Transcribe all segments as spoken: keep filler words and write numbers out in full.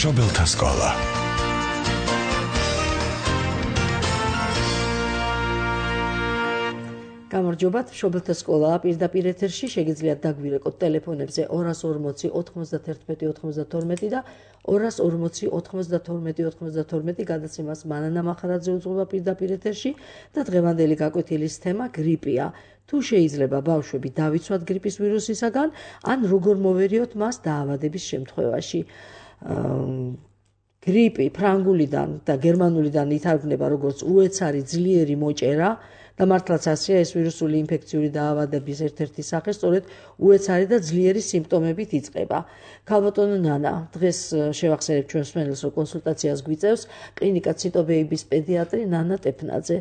მშობელთა სკოლა. გამარჯობათ, მშობელთა სკოლა პირდაპირ ეთერში შეგიძლიათ დაგვირეკოთ ტელეფონებზე ორას ორმოცი ოთხმოცდათერთმეტი ოცდათორმეტი და ორას ორმოცი ოთხმოცდათორმეტი ოცდათორმეტი გადაცემას მანანა მახარაძე უძღვება პირდაპირ ეთერში და დღევანდელი გაკვეთილის თემა გრიპია. თუ შეიძლება ბავშვები დავიცვათ გრიპის ვირუსისაგან, ან როგორ მოვერიოთ მას დაავადების შემთხვევაში. გრიპი ფრანგულიდან და გერმანულიდან ითარგმნება როგორც უეცარი ძლიერი მოჭერა და მართლაც ასეა, ეს ვირუსული ინფექციური დაავადების ერთ-ერთი სახე სწორედ უეცარი და ძლიერი სიმპტომებით იწყება. ქალბატონო ნანა, დღეს შევახსენებ ჩვენს მსმენელს, რომ კონსულტაციას გვიწევს კლინიკა ციტობეიბის პედიატრი ნანა ტეფნაძე.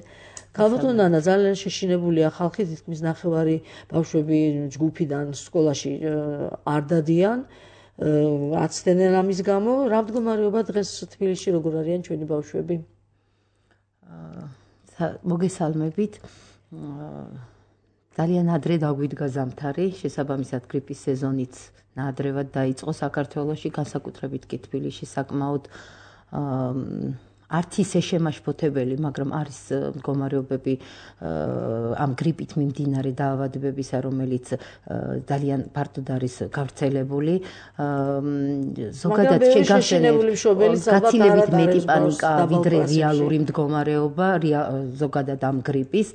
ქალბატონო ნანა, ძალიან შეშინებულია ხალხი, თითქმის ნახევარი ბავშვები ჯგუფიდან სკოლაში არ დადიან, აცდენენ ამის გამო. რა მდგომარეობა დღეს თბილისში, როგორ არიან ჩვენი ბავშვები? მოგესალმებით. ძალიან ადრე დაგვიდგა ზამთარი, შესაბამისად გრიპის სეზონიც ნაადრევად დაიწყო საქართველოში, განსაკუთრებით კი თბილისში საკმაოდ არც ისე შემაშფოთებელი, მაგრამ არის მდგომარეობები ამ გრიპით მიმდინარე დაავადებებისა, რომელიც ძალიან ფართოდ არის გავრცელებული. ზოგადად გაცილებით მეტი პანიკა, ვიდრე რეალური მდგომარეობა, ზოგადად ამ გრიპის.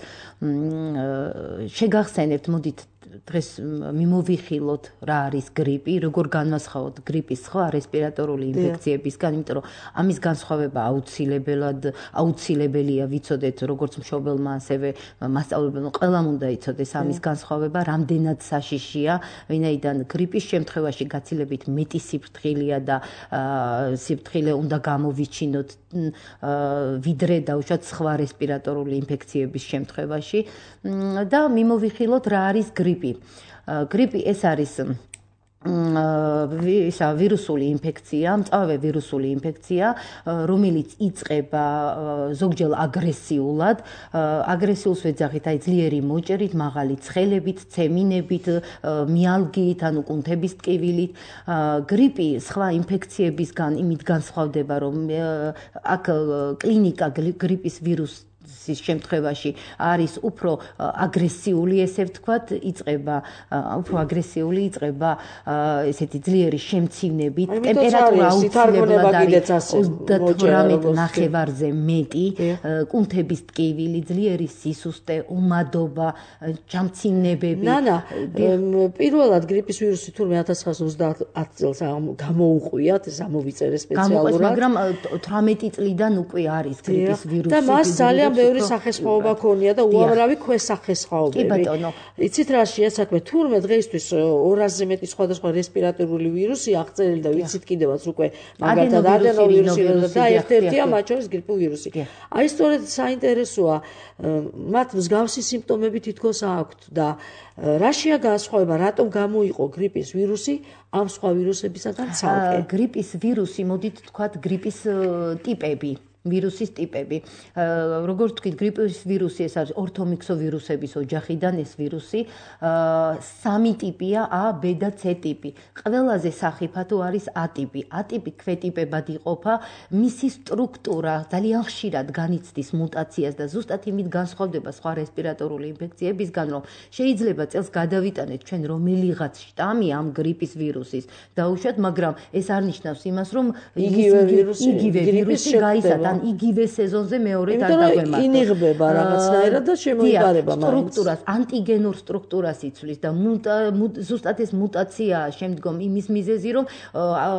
შეგახსენებთ, მოდით დღეს მიმოვიხილოთ რა არის გრიპი, როგორ განვასხვაოთ გრიპის სხვა რესპირატორული ინფექციებისგან, იმიტომ რომ ამის განსხვავება აუცილებლად აუცილებელია ვიცოდეთ როგორც მშობელმა, ასევე მასწავლებელმა, ყველამ უნდა იცოდეს ამის განსხვავება, რამდენად საშიშია, ვინაიდან გრიპის შემთხვევაში გაცილებით მეტი სიფრთხილეა და სიფრთხილე უნდა გამოვიჩინოთ ვიდრე დაუშვათ სხვა რესპირატორული ინფექციების შემთხვევაში და მიმოვიხილოთ რა არის გრიპი. გრიპი ეს არის ისა ვირუსული ინფექცია, მწვავე ვირუსული ინფექცია, რომელიც იწყება ზოგჯერ აგრესიულად, აგრესიულს ვეძახით, აი ძლიერი მოჭერით, მაღალი ცხელებით, ცემინებით, მიალგიით, ანუ კუნთების ტკივილით. გრიპი სხვა ინფექციებისგან იმით განსხვავდება, რომ აქ კლინიკა გრიპის ვირუსის შემთხვევაში არის უფრო აგრესიული, ესე ვთქვათ, იწყება უფრო აგრესიული, იწყება ესეთი ძლიერი შემცინებით, ტემპერატურა აუცილებლად არის ოცდათვრამეტ ნახევარზე მეტი, კუნთების ტკივილი, ძლიერი სისუსტე, უმადობა, ჩამცინებები. ნანა, პირველად გრიპის ვირუსი თურმე ათას ცხრაასა ოცდაათ წელს გამოვუყვიათ, ეს ამოვიწერე სპეციალურად, მაგრამ თვრამეტი წლიდან უკვე არის გრიპის ვირუსი. და მას ძალიან ბევრი სახესხვაობა ქონია და უამრავი ქვესახესხვაობები. კი ბატონო. იცით რა შეასაქმე, თურმე დღეისთვის ორასზე მეტი სხვადასხვა რესპირატორული ვირუსი აღწერილი და ვიცით კიდევაც უკვე მაგალითად ადენოვირუსი და ერთ-ერთია მათ შორის გრიპული ვირუსი. აი სწორედ საინტერესოა, მათ მსგავსი სიმპტომები თითქოს აქვთ და რაშია განსხვავება, რატომ გამოიყო გრიპის ვირუსი ამ სხვა ვირუსებისაგან ცალკე? გრიპის ვირუსი, მოდით თქვათ, გრიპის ტიპები. ვირუსის ტიპები. როგორც ვთქვით, გრიპის ვირუსი ეს არის ორთომიქსოვირუსების ოჯახიდან ეს ვირუსი. სამი ტიპია, A, B და C ტიპი. ყველაზე სახიფათო არის A ტიპი. A ტიპი ქვეტიპებად იყოფა, მისი სტრუქტურა ძალიან ხშირად განიცდის მუტაციას და ზუსტად იმით განსხვავდება სხვა რესპირატორული ინფექციებისგან, რომ შეიძლება წელს გადავიტანეთ ჩვენ რომელიღაც შტამი ამ გრიპის ვირუსის დაუშვათ, მაგრამ ეს არ ნიშნავს იმას, რომ იგივე ვირუსი ვირუსი გაიზარდა იგივე სეზონზე მეორედ არ დაგვემართოს. ინიღბება რაღაცნაირად და შემოიფარება მაინც. სტრუქტურას, ანტიგენურ სტრუქტურას იცვლის და ზუსტად ეს მუტაციაა შემდგომ იმის მიზეზი, რომ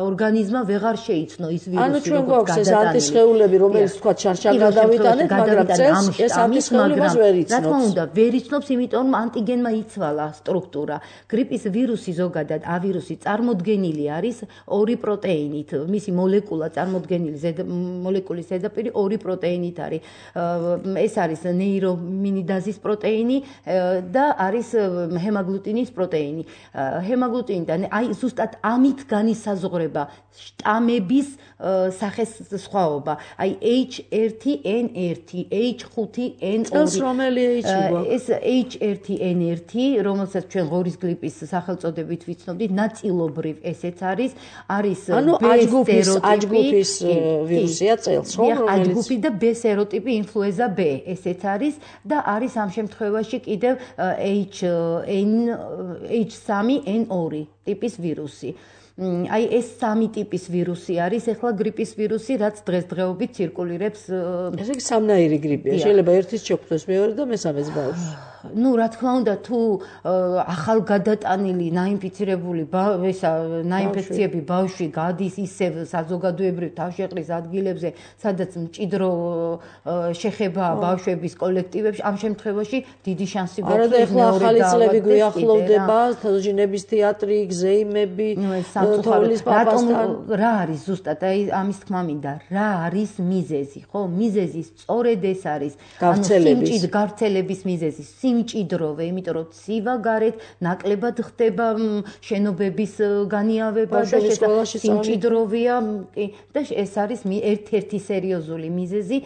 ორგანიზმმა ვეღარ შეიცნო ის ვირუსი, ანუ ჩვენ გვაქვს ეს ანტისხეულები, რომელიც თქვა შარშან გადავიტანეთ, მაგრამ წელს ეს ანტისხეულებას ვერ იცნობს. რა თქმა უნდა, ვერ იცნობს, იმიტომ რომ ანტიგენმა იცვალა სტრუქტურა. გრიპის ვირუსი ზოგადად A ვირუსი წარმოდგენილი არის ორი პროტეინით. მისი მოლეკულა წარმოდგენილი მოლეკულის ზედაპირი ორი პროტეინით არის. ეს არის ნეირომინიდაზის პროტეინი და არის ჰემაგლუტინის პროტეინი. ჰემაგლუტინიდან აი ზუსტად ამით განისაზღვრება შტამების სახეს სხვაობა. აი H one N one, H five N two. ეს რომელი H-ია? ეს H one N one, რომელსაც ჩვენ ღორის გრიპის სახელწოდებით ვიცნობდით, ნაწილობრივ ესეც არის, არის ანუ აჯგუფის აჯგუფის ვირუსია წელს, ხო? აჯგუფი და B სეროტიპი ინფლუენზა B, ესეც არის და არის ამ შემთხვევაში კიდევ H three N two ტიპის ვირუსი. აი ეს სამი ტიპის ვირუსი არის, ეხლა გრიპის ვირუსი, რაც დღესდღეობით ცირკულირებს. ესე იგი სამნაირი გრიპია. შეიძლება ერთის შეგვხვდეს მეორე და მესამეც ბავშვს. ну, რა თქმა უნდა, თუ ახალგადატანილი ნაინფიცირებული ესა ნაინფექციები ბავშვი გადის ისევ საზოგადოებრივ თავშეყრის ადგილებზე, სადაც მჭიდრო შეხება ბავშვების კოლექტივებში, ამ შემთხვევაში დიდი შანსი გვაქვს. არა და ეხლა ახალი წლები გვიახლოვდება, თოჯინების თეატრი, გზეიმები, თოვლის პაპასთან. რა არის ზუსტად, აი ამის თქმა მინდა, რა არის მიზეზი, ხო? მიზეზი სწორედ ეს არის, ანუ სიმჭიდრე გავრცელების მიზეზი. სიმჭიდროვე, იმიტომ რომ ცივა გარეთ ნაკლებად ხდება შენობების განიავება და სიმჭიდროვეა და ეს არის ერთ-ერთი სერიოზული მიზეზი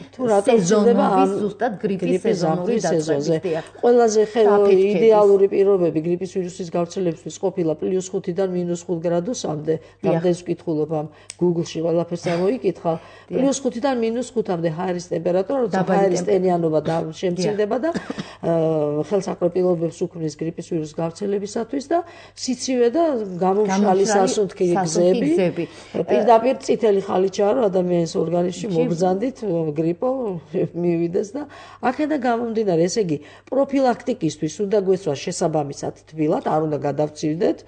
სეზონობის ზუსტად გრიპის სეზონური დაწყებისია. ყველაზე იდეალური პირობები გრიპის ვირუსის გავრცელებისთვის ყოფილა პლუს ხუთიდან მინუს ხუთ გრადუსამდე. რამდენს ვკითხულობ ამ Google-ში ყველაფერს ამოიკითხა. პლუს ხუთიდან მინუს ხუთამდე ჰაერის ტემპერატურა, როცა ჰაერის ტენიანობა და შემცირდება და ხელსაყრელობებს უქმნის გრიპის ვირუსის გავრცელებისათვის და სიცივე და გამომშრალი სასუნთქი გზები. პირდაპირ წითელი ხალიჩაა, რომ ადამიანის ორგანიზმში მობრძანდით გრიპო მივიდეს და აქედან გამომდინარე, ესე იგი, პროფილაქტიკისთვის უნდა გვესვას შესაბამისად თბილად, არ უნდა გადავწირდეთ.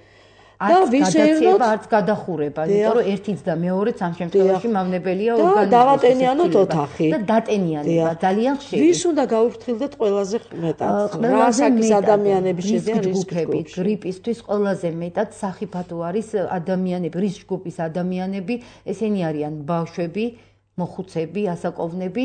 და ვისეირნოთ არც გადახურება, იმიტომ რომ ერთიც და მეორეც ამ შემთხვევაში მავნებელია ორგანიზმის. და დავატენიანოთ ოთახი. და დატენიანება ძალიან ხშირი. ვის უნდა გაუფრთხილდეთ ყველაზე მეტად? რასაკის ადამიანები შედიან რისკში? გრიპისთვის ყველაზე მეტად სახიფათო არის ადამიანები, რისკ ჯგუფის ადამიანები, ესენი არიან ბავშვები, მოხუცები, ასაკოვნები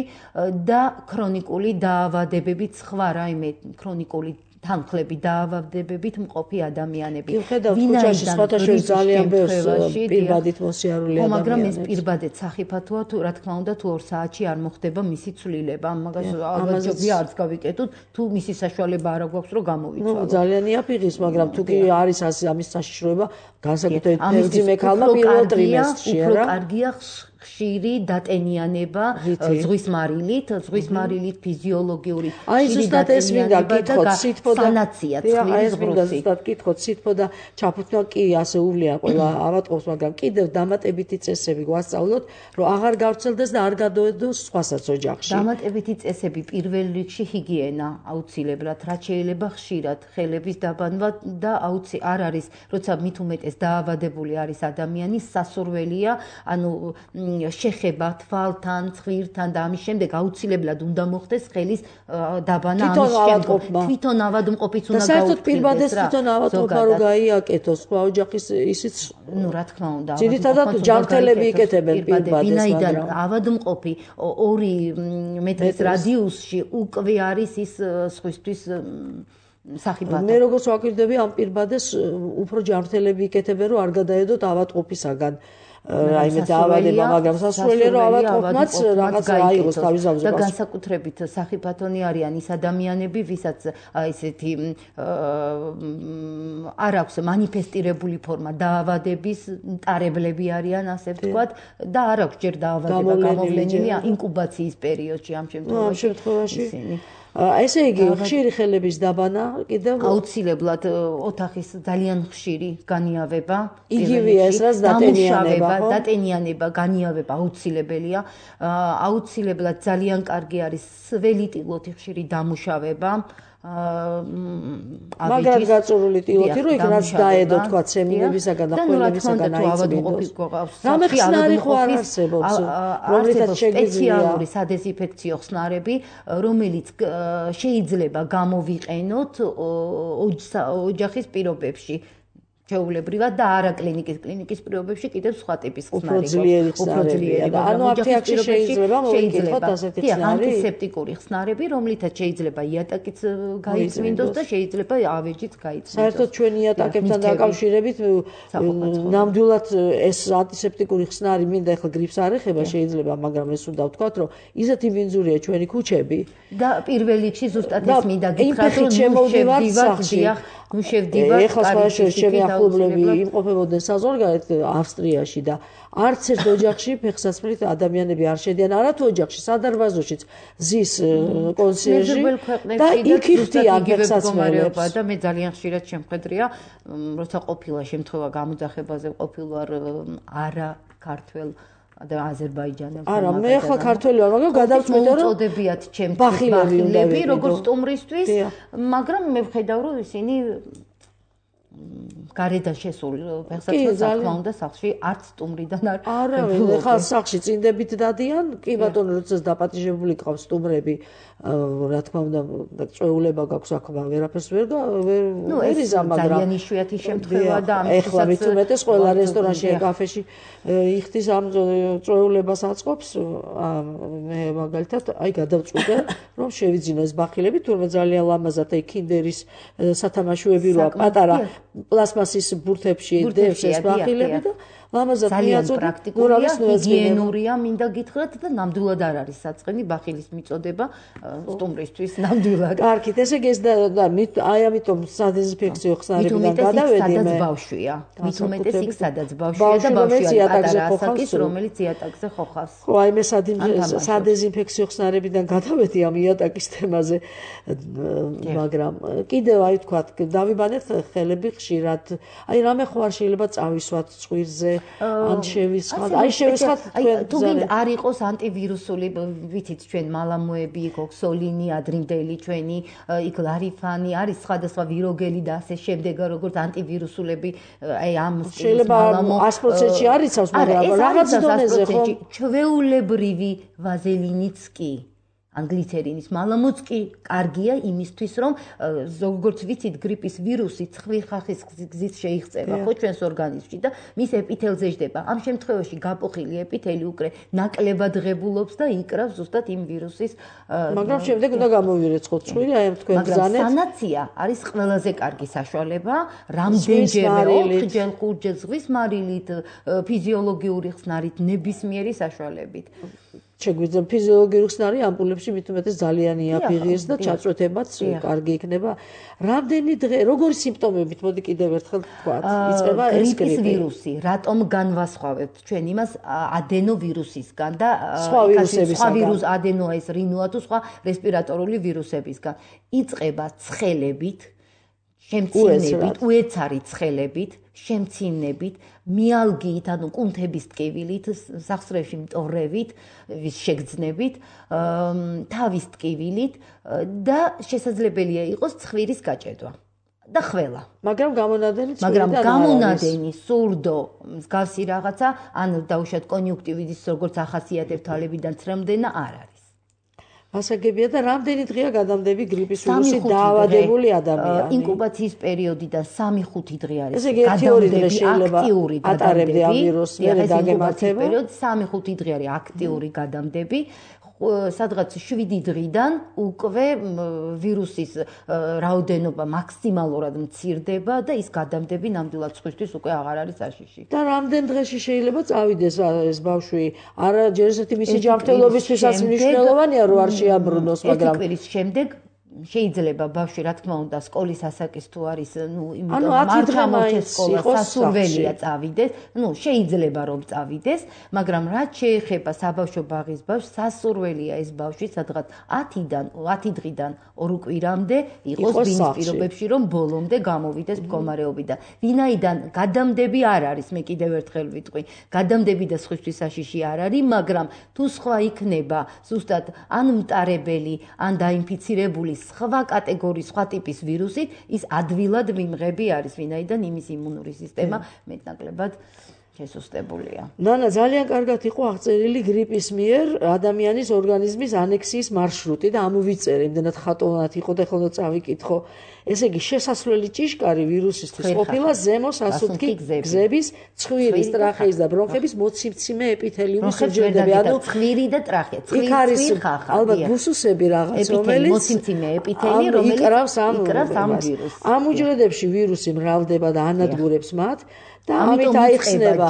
და ქრონიკული დაავადებებით, სხვა რაიმე ქრონიკული თანხლები დაავადებებით მყოფი ადამიანები. ვინაიდან სხვათა შორის ძალიან ბევრს პირბადით მოსიარული ადამიანები. მაგრამ ეს პირბადეთ სახიფათოა, თუ რა თქმა უნდა, თუ ორ საათში არ მოხდება მისი ცვლილება. მაგას ალბათ არც გავიკეთოთ, თუ მისი საშუალება არ აქვს, რომ გამოვიცვალოთ. ნუ ძალიან იაფიღის, მაგრამ თუ კი არის ამის საშიშროება, განსაკუთრებით თევზიმე ქალმა პირველ ტრიმესტრში, არა? უფრო კარგია ხშირი დატენიანება ზღვის მარილით, ზღვის მარილით ფიზიოლოგიური ხშირი დატენიანება და სანაცია წყლის ზღვროსი. ზუსტად გითხოთ, სითბო და ჩაფუთმა კი ასე უვლია ყველა ავატყობს, მაგრამ კიდევ დამატებითი წესები გვასწავლოთ, რომ აღარ გავრცელდეს და არ გადაედოს სხვასაც ოჯახში. დამატებითი წესები პირველ რიგში ჰიგიენა აუცილებლად, რაც შეიძლება ხშირად ხელების დაბანვა და აუცი არ არის, როცა მით უმეტეს დაავადებული არის ადამიანი, სასურველია, ანუ შეხება თვალთან, ცხვირთან და ამის შემდეგ აუცილებლად უნდა მოხდეს ხელის დაბანა ამის შემდეგ. თვითონ ავადმყოფიც უნდა გაუქმდეს. და საერთოდ პირბადეს თვითონ ავადმყოფა რო გაიაკეთოს, სხვა ოჯახის ისიც, ну, რა თქმა უნდა, ძირითადად ჯანმრთელები იკეთებენ პირბადეს, ვინაიდან ავადმყოფი ორი მეტრის რადიუსში უკვე არის ის სხვისთვის სახიფათო. მე როგორც ვაკვირდები ამ პირბადეს უფრო ჯანმრთელები იკეთებენ, რომ არ გადაედოთ ავადმყოფისაგან. რაიმე დაავადება, მაგრამ სასურველია რომ ავადმყოფმაც რაღაც აიღოს თავის ზავზე. და განსაკუთრებით სახიფათონი არიან ის ადამიანები, ვისაც ესეთი არ აქვს მანიფესტირებული ფორმა დაავადების, მტარებლები არიან, ასე ვთქვათ, და არ აქვს ჯერ დაავადება გამოვლენილი ინკუბაციის პერიოდში ამ შემთხვევაში ისინი. ესე იგი, ხშირი ხელების დაბანა კიდევ აუცილებლად ოთახის ძალიან ხშირი განიავება, იგივეა ეს რაც დატენიანება, დატენიანება, განიავება აუცილებელია. აუცილებლად ძალიან კარგი არის სველი ტილოთი ხშირი დამუშავება. მაგრამ გაწურული ტილოთი რო იქ რაც დაედო თქვა ცემინებისაგან და ყველებისაგან აიწმინდოს. რამე ხსნარი ხო არ არსებობს, რომლითაც შეგვიძლია სპეციალური სადეზინფექციო ხსნარები, რომელიც შეიძლება გამოვიყენოთ ოჯახის პირობებში. ჩეულებრივად და არა კლინიკის კლინიკის პირობებში კიდევ სხვა ტიპის ხსნარი უფრო ძლიერი ხსნარებია და ანუ აფთიაქში შეიძლება მოვიკითხოთ ასეთი ხსნარი ანტისეპტიკური ხსნარები რომლითაც შეიძლება იატაკიც გაიწმინდოს და შეიძლება ავეჯიც გაიწმინდოს საერთოდ ჩვენი იატაკებთან დაკავშირებით ნამდვილად ეს ანტისეპტიკური ხსნარი მინდა ახლა გრიპს არ ეხება შეიძლება მაგრამ ეს უნდა ვთქვათ რომ ისეთი ვინძურია ჩვენი ქუჩები და პირველ რიგში ზუსტად ეს მინდა გითხრათ რომ შემოვდივართ სახში ნუ შევდივართ ეხლა სხვადასხვა ახლობლები იმყოფებოდნენ საზღვარგარეთ ავსტრიაში და არც ერთ ოჯახში ფეხსაცმლით ადამიანები არ შედიან არა თუ ოჯახში სადარბაზოშიც ზის კონსიერჟი და იქ იხდიან ფეხსაცმელებს და მე ძალიან ხშირად შემხედრია როცა ყოფილა შემთხვევა გამოძახებაზე ყოფილვარ არა ქართველ და აზერბაიჯანელთან არა მე ახლა ქართველი ვარ მაგრამ გადავწყვიტე რომ უწოდებიათ ჩემთვის ბახილები როგორც სტუმრისთვის მაგრამ მე ვხედავ რომ ისინი გარედან შესულ ფეხსაცმელს თქმა უნდა სახლში არც სტუმრიდან არ არა ახლა სახლში წინდებით დადიან კი ბატონო როდესაც დაპატიჟებული ყავს სტუმრები რა თქმა უნდა წვეულება გაქვს აქ ვერაფერს ვერ ვერ იზა მაგრამ ძალიან იშვიათი შემთხვევაა და ამიტომაც ახლა მით უმეტეს ყველა რესტორანში და კაფეში იხდის ამ წვეულებას აწყობს მე მაგალითად აი გადავწყვიტე რომ შევიძინო ეს ბახილები თუმცა ძალიან ლამაზად აი კინდერის სათამაშოები როა პატარა პლასმასის ბურთებში დევს ეს ბახილები და ლამაზად მიაწოდე ნურავის ჰიგიენურია მინდა გითხრათ და ნამდვილად არ არის საწყენი ბახილის მიწოდება სტუმრისთვის ნამდვილად კარგით ესე იგი ეს და აი ამიტომ სადეზინფექციო ხსნარებიდან გადავედი მე ბავშვია მით უმეტეს იქ სადაც ბავშვია და ბავშვია პატარა ასაკის რომელიც იატაკზე ხოხავს ხო აი მე სადეზინფექციო ხსნარებიდან გადავედი ამ იატაკის თემაზე მაგრამ კიდევ აი თქვა დავიბანეთ ხელები ხშირად აი რამე ხო არ შეიძლება წავისვათ წვირზე ან შევისხათ აი შევისხათ თუ გინდა არ იყოს ანტივირუსული ვიცით ჩვენ მალამოები ოქსოლინი ადრინდელი ჩვენი იქ ლარიფანი არის სხვადასხვა ვიროგელი და ასე შემდეგ როგორც ანტივირუსულები აი ამ შეიძლება ას პროცენტში არ იცავს მაგრამ რაღაც დონეზე ხო ჩვეულებრივი ვაზელინიც კი ან გლიცერინის მალამოც კი კარგია იმისთვის რომ როგორც ვიცით გრიპის ვირუსი ცხვირხახის გზით შეიღწევა ხო ჩვენს ორგანიზმში და მის ეპითელზე ჯდება ამ შემთხვევაში გაპოხილი ეპითელი უკრე ნაკლებად ღებულობს და იკრავს ზუსტად იმ ვირუსის მაგრამ შემდეგ უნდა გამოვირეცხოთ ცხვირი აი ამ თქვენ ბრძანეთ მაგრამ სანაცია არის ყველაზე კარგი საშუალება რამდენჯერმე ოთხჯერ ხუთჯერ ზღვის მარილით ფიზიოლოგიური ხსნარით ნებისმიერი საშუალებით შეგვიძლია ფიზიოლოგიური ხსნარი ამპულებში მით უმეტეს ძალიან იაფიღეს და ჩაწვეთებაც კარგი იქნება. რამდენი დღე, როგორი სიმპტომებით, მოდი კიდევ ერთხელ ვთქვათ, იწყება ეს გრიპი. გრიპის ვირუსი, რატომ განვასხვავებთ ჩვენ იმას ადენოვირუსისგან და სხვა ვირუსებისგან. სხვა ვირუს ადენოა ეს რინოა თუ სხვა რესპირატორული ვირუსებისგან. იწყება ცხელებით, შემცინებით, უეცარი ცხელებით, შემცინებით, მიალგიით, ანუ კუნთების ტკივილით, სახსრევში მტოვრებით, შეგრძნებით, თავის ტკივილით და შესაძლებელია იყოს ცხვირის გაჭედვა. და ხველა. მაგრამ გამონადენი ცხვირიდან მაგრამ გამონადენი, სურდო, მსგავსი რაღაცა, ან დაუშვათ კონიუნქტივიტის როგორც ახასიათებთ თვალებიდან ცრემდენა არ არის. ასაგებია და რამდენი დღეა გადამდები გრიპის ვირუსით დაავადებული ადამიანი? ინკუბაციის პერიოდიდან სამი ხუთი დღე არის. ესე იგი ერთი ორი დღე შეიძლება ატარებდე ამ ვირუსს, მერე დაგემართება. პერიოდი სამი ხუთი დღე არის აქტიური გადამდები. სადღაც შვიდი დღიდან უკვე ვირუსის რაოდენობა მაქსიმალურად მცირდება და ის გადამდები ნამდვილად სხვისთვის უკვე აღარ არის საშიში. და რამდენ დღეში შეიძლება წავიდეს ეს ბავშვი? არა ჯერ ესეთი მისი ჯანმრთელობისთვისაც მნიშვნელოვანია რომ არ შეაბრუნოს, მაგრამ ერთი კვირის შემდეგ შეიძლება ბავშვი რა თქმა უნდა სკოლის ასაკის თუ არის, ნუ იმიტომ მართა მოჩეს სკოლა სასურველია წავიდეს, ნუ შეიძლება რომ წავიდეს, მაგრამ რაც შეეხება საბავშვო ბაღის ბავშვს, სასურველია ეს ბავშვი სადღაც ათიდან ათი დღიდან ორ კვირამდე იყოს ბინის პირობებში, რომ ბოლომდე გამოვიდეს მდგომარეობიდან. ვინაიდან გადამდები არ არის, მე კიდევ ერთხელ ვიტყვი, გადამდები და სხვისთვის საშიში არ არის, მაგრამ თუ სხვა იქნება, ზუსტად ან მტარებელი, ან დაინფიცირებული სხვა კატეგორიის, სხვა ტიპის ვირუსით, ის ადვილად მიმღები არის, ვინაიდან იმის იმუნური სისტემა მეტნაკლებად შესუსტებულია. ნანა ძალიან კარგად იყო აღწერილი გრიპის მიერ ადამიანის ორგანიზმის ანექსიის მარშრუტი და ამოვიწერე, იმდენად ხატოვნად იყო და ხოლმე წავიკითხო. ესე იგი შესასვლელი ჭიშკარი ვირუსისთვის ყოფილა ზემო სასუნთქი გზების, ცხვირის, ტრახეის და ბრონხების მოციმციმე ეპითელიუმის უჯრედები. ანუ ცხვირი და ტრახე, ცხვირი ხახა. ალბათ ბუსუსები რაღაც, რომელიც მოციმციმე ეპითელი, რომელიც იკრავს ამ ვირუსს. ამ უჯრედებში ვირუსი მრავლდება და ანადგურებს მათ. და ამით აიხსნება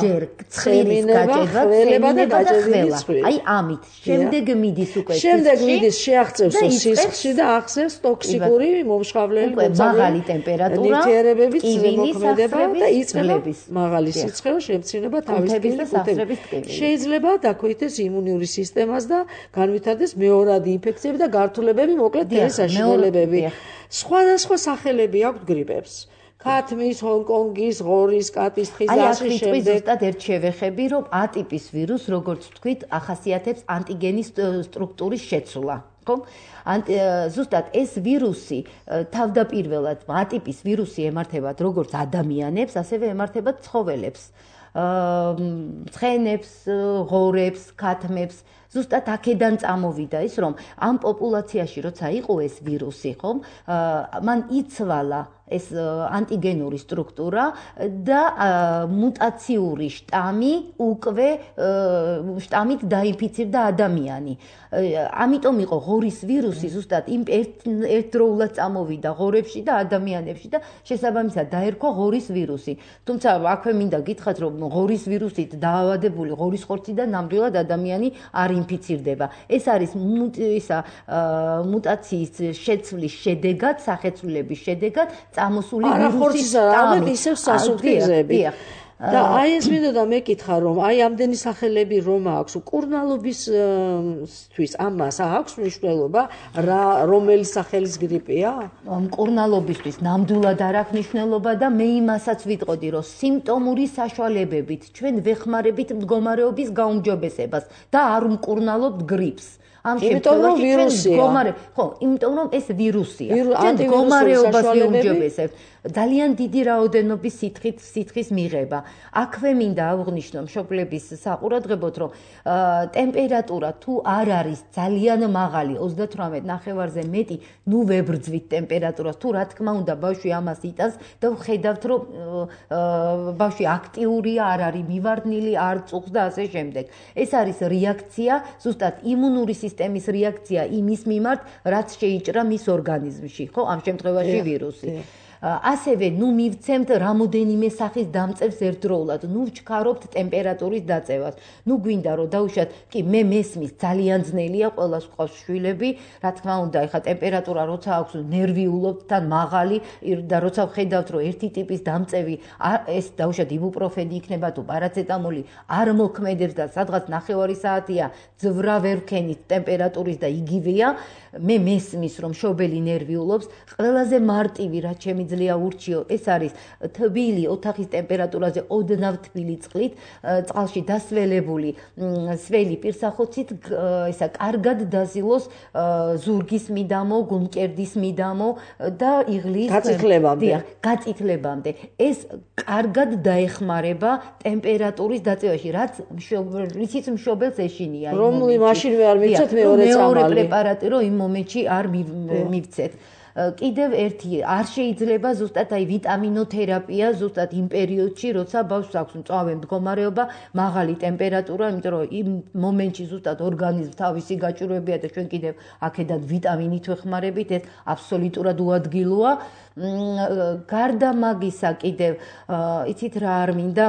ცხვირის გაჭედა, ცხვირება და გაჭედილი ცხვირი. აი ამით. შემდეგ მიდის უკვე შემდეგ მიდის შეაღწევს სისხლში და ახსევს ტოქსიკური მომშხავლელი მაღალი ტემპერატურა, ნივთიერებების ზემოქმედება და იწყება მაღალი სიცხეო შემცინება თავისუფლების კუთები. შეიძლება დაქვეითდეს იმუნური სისტემას და განვითარდეს მეორადი ინფექციები და გართულებები, მოკლედ თელი საშინელებები. სხვადასხვა სახელები აქვს გრიპებს. ქათმის, ჰონკონგის, ღორის, კატის თხის და ასე შემდეგ. აი, ზუსტად ერთ შევეხები, რომ A ტიპის ვირუსს, როგორც ვთქვით, ახასიათებს ანტიგენის სტრუქტურის შეცვლა. ხო? ზუსტად ეს ვირუსი თავდაპირველად A ტიპის ვირუსი ემართებათ როგორც ადამიანებს, ასევე ემართებათ ცხოველებს. ცხენებს, ღორებს, ქათმებს. ზუსტად აქედან წამოვიდა ის, რომ ამ პოპულაციაში როცა იყო ეს ვირუსი, ხომ? მან იცვალა ეს ანტიგენური სტრუქტურა და მუტაციური შტამი უკვე შტამით დაინფიცირდა ადამიანი. ამიტომ იყო ღორის ვირუსი ზუსტად იმ ერთდროულად წამოვიდა ღორებში და ადამიანებში და შესაბამისად დაერქვა ღორის ვირუსი. თუმცა აქვე მინდა გითხრათ, რომ ღორის ვირუსით დაავადებული ღორის ხორციდან ნამდვილად ადამიანი არ ინფიცირდება. ეს არის ისა მუტაციის შეცვლის შედეგად, სახეცვლილების შედეგად წამოსული ვირუსის შტამი ისევ სასუნთქი გზები. და აი ეს მინდოდა მეკითხა, რომ აი ამდენი სახელები რომ აქვს, მკურნალობისთვის ამას აქვს მნიშვნელობა, რა რომელი სახელის გრიპია? მკურნალობისთვის ნამდვილად არ აქვს მნიშვნელობა და მე იმასაც ვიტყოდი, რომ სიმპტომური საშუალებებით ჩვენ ვეხმარებით მდგომარეობის გაუმჯობესებას და არ ვმკურნალობთ გრიპს. ამ შემთხვევაში ჩვენ მდგომარე, ხო, იმიტომ რომ ეს ვირუსია. ჩვენ მდგომარეობას ვიუმჯობესებთ. ძალიან დიდი რაოდენობის სითხით სითხის მიღება. აქვე მინდა აღვნიშნო მშობლების საყურადღებოდ, რომ ტემპერატურა თუ არ არის ძალიან მაღალი, ოცდათვრამეტ ნახევარზე მეტი, ნუ ვებრძვით ტემპერატურას. თუ რა თქმა უნდა ბავშვი ამას იტანს და ვხედავთ, რომ ბავშვი აქტიურია, არ არის მივარდნილი, არ წუხს და ასე შემდეგ. ეს არის რეაქცია, ზუსტად იმუნური სისტემის რეაქცია იმის მიმართ, რაც შეიჭრა მის ორგანიზმში, ხო, ამ შემთხვევაში ვირუსი. ასევე ნუ მივცემთ რამოდენიმე სახის დამწევს ერთდროულად, ნუ ვჩქარობთ ტემპერატურის დაწევას. ნუ გვინდა რომ დაუშვათ, კი მე მესმის ძალიან ძნელია, ყველას ყავს შვილები, რა თქმა უნდა, ეხა ტემპერატურა როცა აქვს ნერვიულობთ თან მაღალი და როცა ვხედავთ რომ ერთი ტიპის დამწევი ეს დაუშვათ იბუპროფენი იქნება თუ პარაცეტამოლი არ მოქმედებს და სადღაც ნახევარი საათია ძვრა ვერ ვქენით ტემპერატურის და იგივეა, მე მესმის რომ მშობელი ნერვიულობს, ყველაზე მარტივი რაც შემიძლია ურჩიო, ეს არის თბილი ოთახის ტემპერატურაზე ოდნავ თბილი წყლით, წყალში დასველებული სველი პირსახოცით, ესა კარგად დაზილოს ზურგის მიდამო, გულმკერდის მიდამო და იღლიის გაწითლებამდე. გაწითლებამდე. ეს კარგად დაეხმარება ტემპერატურის დაწევაში, რაც რითიც მშობელს ეშინია. რომლი მაშინვე არ მივცეთ მეორე წამალი. მეორე პრეპარატი რომ იმ მომენტში არ მივცეთ. კიდევ ერთი არ შეიძლება ზუსტად აი ვიტამინოთერაპია ზუსტად იმ პერიოდში, როცა ბავშვს აქვს მწვავე მდგომარეობა, მაღალი ტემპერატურა, იმიტომ რომ იმ მომენტში ზუსტად ორგანიზმ თავისი გაჭირვებია და ჩვენ კიდევ აქედან ვიტამინით ვეხმარებით, ეს აბსოლუტურად უადგილოა. გარდა მაგისა კიდევ იცით რა არ მინდა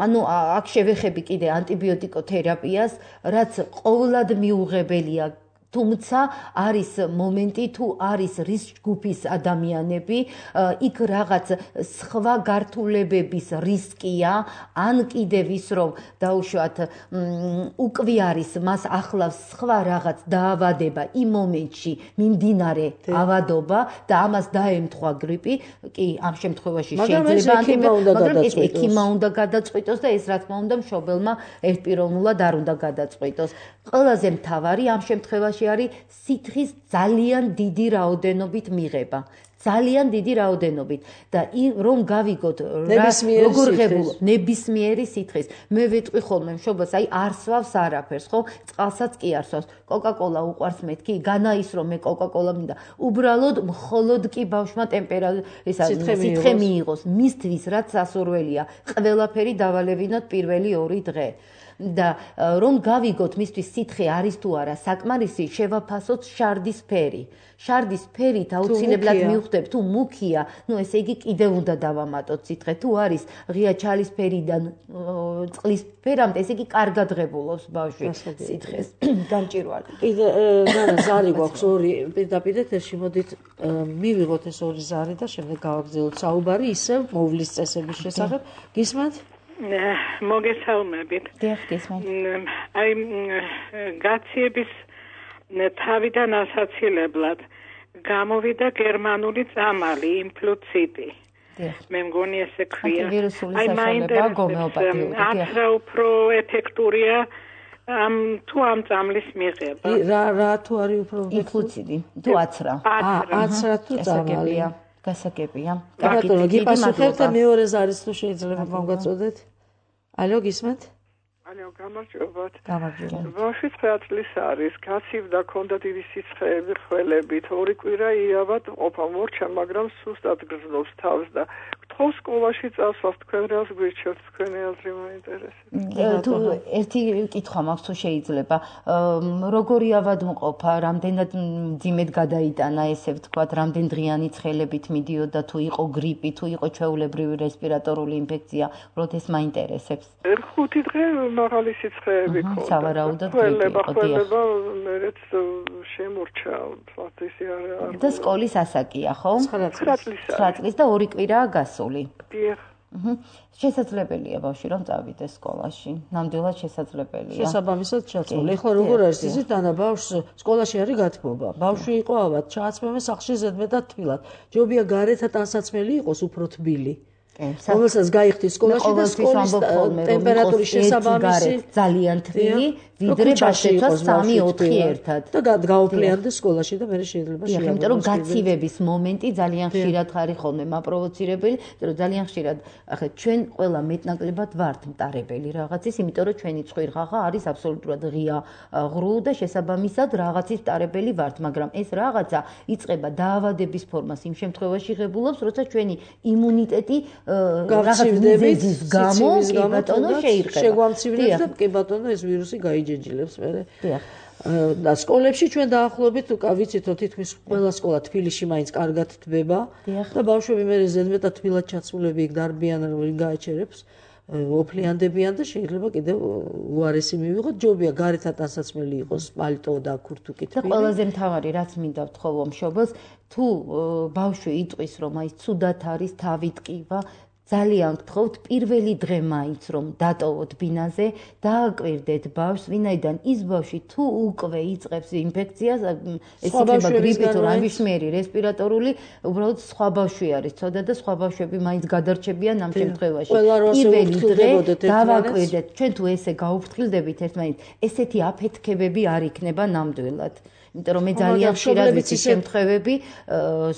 ანუ აქ შევეხები კიდე ანტიბიოტიკოთერაპიას, რაც ყოვლად მიუღებელია. თუმცა არის მომენტი თუ არის რისკ ჯგუფის ადამიანები, იქ რაღაც სხვა გართულებების რისკია, ან კიდევ ის რომ დაუშვათ უკვე არის მას ახლავს სხვა რაღაც დაავადება იმ მომენტში მიმდინარე ავადობა და ამას დაემთხვა გრიპი, კი ამ შემთხვევაში შეიძლება მაგრამ ეს ექიმა უნდა გადაწყვიტოს და ეს რა თქმა უნდა მშობელმა ერთპიროვნულად არ უნდა გადაწყვიტოს. ყველაზე მთავარი ამ შემთხვევაში სკოლაში არის სითხის ძალიან დიდი რაოდენობით მიღება. ძალიან დიდი რაოდენობით და რომ გავიგოთ როგორ ღებულობ ნებისმიერი სითხის მე ვეტყვი ხოლმე მშობელს აი არსვავს არაფერს ხო წყალსაც კი არსვავს კოკა-კოლა უყვარს მეთქი განაის რომ მე კოკა-კოლა მინდა უბრალოდ მხოლოდ კი ბავშვმა ტემპერატურა ესა სითხე მიიღოს მისთვის რაც სასურველია ყველაფერი დავალევინოთ პირველი ორი დღე და რომ გავიგოთ მისთვის სითხე არის თუ არა საკმარისი შევაფასოთ შარდის ფერი შარდის ფერით აუცილებლად მივხვდებ თუ მუქია ნუ ესე იგი კიდევ უნდა დავამატოთ სითხე თუ არის ღია ჩალის ფერიდან წყლის ფერამდე ესე იგი კარგად ღებულობს ბავშვი სითხეს გამჭირვალე კიდე განა ზარი გვაქვს ორი პირდაპირ ეთერში მოდით მივიღოთ ეს ორი ზარი და შემდეგ გავაგრძელოთ საუბარი ისევ მოვლის წესების შესახებ გისმენთ მოგესალმებით. აი გაციების თავიდან ასაცილებლად გამოვიდა გერმანული წამალი იმფლუციტი. მე მგონი ესე ქვია. აი მაინტერესებს არც რა უფრო ეფექტურია ამ თუ ამ წამლის მიღება. რა რა თუ არის უფრო იმფლუციტი თუ აცრა. აცრა თუ წამალი. გასაგებია. ბატონო, გიპასუხებთ და მეორე ზარის თუ შეიძლება მომგაწოდეთ? ალო, გისმენთ? ალო, გამარჯობათ. გამარჯობა. ბავშვი ცხრა წლის არის, გაცივდა, ქონდა დიდი სიცხეები ხველებით, ორი კვირა იავად ყოფა მორჩა, მაგრამ სუსტად გრძნობს თავს და გთხოვ სკოლაში წასვლას თქვენ რას გვირჩევთ, თქვენი აზრი მაინტერესებს. თუ ერთი კითხვა მაქვს თუ შეიძლება, როგორი ავად მყოფა, რამდენად მძიმედ გადაიტანა ესე ვთქვათ, რამდენ დღიანი ცხელებით მიდიოდა, თუ იყო გრიპი, თუ იყო ჩვეულებრივი რესპირატორული ინფექცია, უბრალოდ ეს მაინტერესებს. ხუთი დღე მაღალი სიცხეები ქონდა. სავარაუდოდ გრიპი იყო, დიახ. მერეც შემორჩა, ვთქვათ, ისე არ. და სკოლის ასაკია, ხო? ცხრა წლის. ცხრა წლის და ორი კვირაა გასული. დიახ. შესაძლებელია ბავშვი რომ წავიდეს სკოლაში. ნამდვილად შესაძლებელია. შესაბამისად ჩაწოლი. ეხლა როგორ არის იცით, ანა ბავშვს სკოლაში არის გათბობა. ბავშვი იყო ავად, ჩააცმევენ სახლში ზედმეტად თბილად. ჯობია გარეთ ტანსაცმელი იყოს უფრო თბილი. რომელსაც გაიხდის სკოლაში და სკოლის ტემპერატურის შესაბამისი ძალიან თბილი, ვიდრე ბავშვებს სამი ოთხი ერთად. და გაუფლიანდეს სკოლაში და მე შეიძლება შეიარაღოს. იმიტომ რომ გაცივების მომენტი ძალიან ხშირად არის ხოლმე მაპროვოცირებელი, იმიტომ რომ ძალიან ხშირად ახლა ჩვენ ყველა მეტნაკლებად ვართ მტარებელი რაღაცის, იმიტომ რომ ჩვენი ცხვირღაღა არის აბსოლუტურად ღია ღრუ და შესაბამისად რაღაცის მტარებელი ვართ, მაგრამ ეს რაღაცა იწყება დაავადების ფორმას იმ შემთხვევაში ღებულობს, როცა ჩვენი იმუნიტეტი გავცივდებით გამო კი ბატონო შეირყება. შეგვამცირებს და კი ბატონო ეს ვირუსი გაიჯეჯილებს მერე. დიახ. და სკოლებში ჩვენ დაახლოებით ვიცით რომ თითქმის ყველა სკოლა თბილისში მაინც კარგად თბება და ბავშვები მერე ზედმეტად თბილად ჩაცმულები იქ დარბიან რომ გააჩერებს ოფლიანდებიან და შეიძლება კიდევ უარესი მივიღოთ ჯობია გარეთ ტანსაცმელი იყოს პალტო და ქურთუკი თბილი. და ყველაზე მთავარი რაც მინდა ვთხოვო მშობელს თუ ბავშვი იტყვის რომ აი ცუდად არის თავი ტკივა ძალიან გთხოვთ პირველი დღე მაინც რომ დატოვოთ ბინაზე დააკვირდეთ ბავშვს ვინაიდან ის ბავშვი თუ უკვე იწყებს ინფექციას ეს იქნება გრიპი თუ რამისმიერი რესპირატორული უბრალოდ სხვა ბავშვი არის ცოდა და სხვა ბავშვები მაინც გადარჩებიან ამ შემთხვევაში პირველი დღე დავაკვირდეთ ჩვენ თუ ესე გაუფრთხილდებით ერთმანეთს ესეთი აფეთქებები არ იქნება ნამდვილად იმიტომ რომ მე ძალიან ხშირად ვიცი შემთხვევები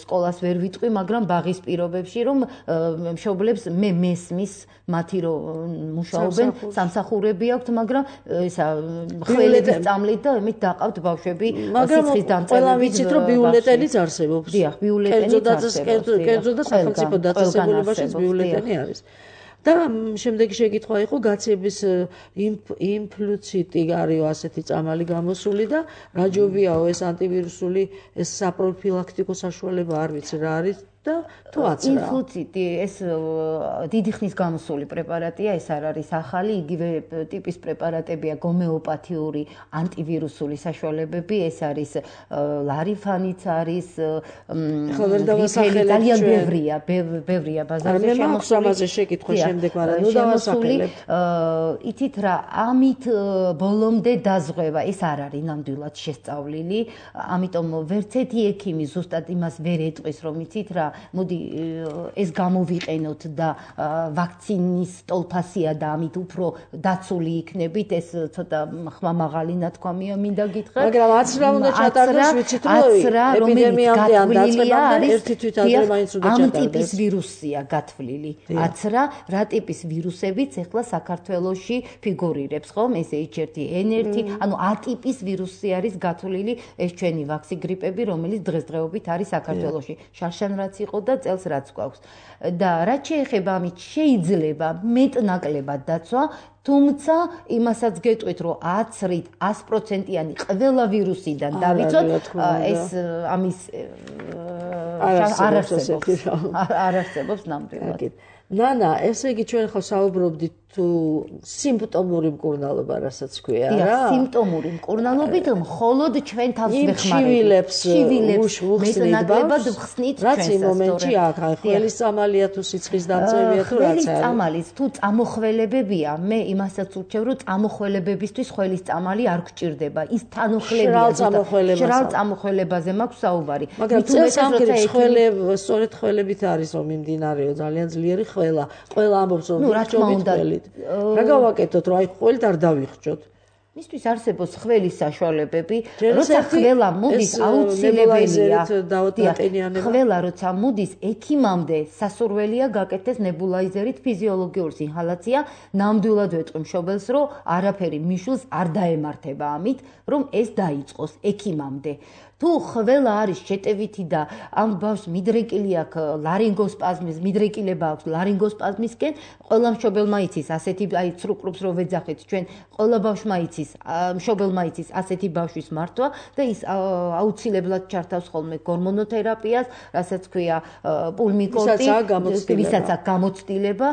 სკოლას ვერ ვიტყვი მაგრამ ბაღის პირობებში რომ მშობლებს მე მესმის მათი რომ მუშაობენ სამსახურები აქვთ მაგრამ ისა ხველების წამლით და იმით დაყავთ ბავშვები სიცხის დამწერლობით ყველა ვიცით რომ ბიულეტენიც არსებობს დიახ ბიულეტენიც არსებობს კერძო და სახელმწიფო დაწესებულებაშიც ბიულეტენი არის და შემდეგი შეკითხვა იყო გაციების იმფლუციტი არის ასეთი წამალი გამოსული და რა ჯობიაო ეს ანტივირუსული ეს საპროფილაქტიკო საშუალება არ ვიცი რა არის და თუ აცრა იმფლუციტი ეს დიდი ხნის გამოსული პრეპარატია ეს არ არის ახალი იგივე ტიპის პრეპარატებია გომეოპათიური ანტივირუსული საშუალებები ეს არის ლარიფანიც არის ძალიან ბევრია ბევრია ბაზარზე შემოსული შეკითხვა შემდეგ მაგრამ ნუ დავასახელებ იცით რა ამით ბოლომდე დაზღვევა ეს არ არის ნამდვილად შესწავლილი ამიტომ ვერც ერთი ექიმი ზუსტად იმას ვერ ეტყვის რომ იცით რა მოდი ეს გამოვიყენოთ და ვაქცინის ტოლფასია და ამით უფრო დაცული იქნებით, ეს ცოტა ხმამაღალი ნათქვამია მინდა გითხრათ. მაგრამ აცრა უნდა ჩატარდეს, ვიცით რომ ეპიდემიამდე ან დაწყებამდე ერთი თვით ადრე მაინც უნდა ჩატარდეს. ამ ტიპის ვირუსია გათვლილი. აცრა რა ტიპის ვირუსებიც ახლა საქართველოში ფიგურირებს, ხომ? ეს ეიჩ ერთი ენ ერთი, ანუ A ტიპის ვირუსი არის გათვლილი, ეს ჩვენი ვაქსი გრიპები, რომელიც დღესდღეობით არის საქართველოში. შარშან რაც იყო და წელს რაც გვაქვს. და რაც შეეხება ამით შეიძლება მეტნაკლებად დაცვა, თუმცა იმასაც გეტყვით, რომ აცრით ას პროცენტიანი ყველა ვირუსიდან დავიცოთ, ეს ამის არ არსებობს. არ არსებობს ნამდვილად. ნანა, ესე იგი ჩვენ ხო საუბრობდით თუ სიმპტომური მკურნალობა, რასაც ქვია, რა? დიახ, სიმპტომური მკურნალობით მხოლოდ ჩვენ თავს ვეხმარებით. ჩივილებს მეტნაკლებად ვხსნით ჩვენს. რაც იმ მომენტში აქ ხელის წამალია თუ სიცხის დამწევია თუ რაც არის. ხელის წამალის თუ წამოხველებებია, მე იმასაც ურჩევ, რომ წამოხველებებისთვის ხელის წამალი არ გჭირდება. ის თანუხლებია. შრალ წამოხველებაზე მაქვს საუბარი. მაგრამ წელს ამგერებს ხველები, სწორედ ხველებით არის რომ მიმდინარეო ძალიან ძლიერი ყველა. ყველა ამბობს რომ ვიჭობთ ხველით. რა გავაკეთოთ, რომ აი ხველით არ დავიხჭოთ? მისთვის არსებობს ხველის საშუალებები, როცა ხველა მოდის აუცილებელია. ხველა როცა მოდის ექიმამდე სასურველია გაკეთდეს ნებულაიზერით ფიზიოლოგიური ინჰალაცია, ნამდვილად ვეტყვი მშობელს, რომ არაფერი მიშულს არ დაემართება ამით, რომ ეს დაიწყოს ექიმამდე. თუ ხველა არის შეტევითი და ამ ბავშვს მიდრეკილი აქვს ლარინგოსპაზმის, მიდრეკილება აქვს ლარინგოსპაზმისკენ, ყველა მშობელმა იცის ასეთი აი ცრუკრუპს რო ვეძახეთ ჩვენ, ყველა ბავშვმა იცის, მშობელმა იცის ასეთი ბავშვის მართვა და ის აუცილებლად ჩართავს ხოლმე გორმონოთერაპიას, რასაც ქვია პულმიკორტი, ვისაც აქვს გამოცდილება,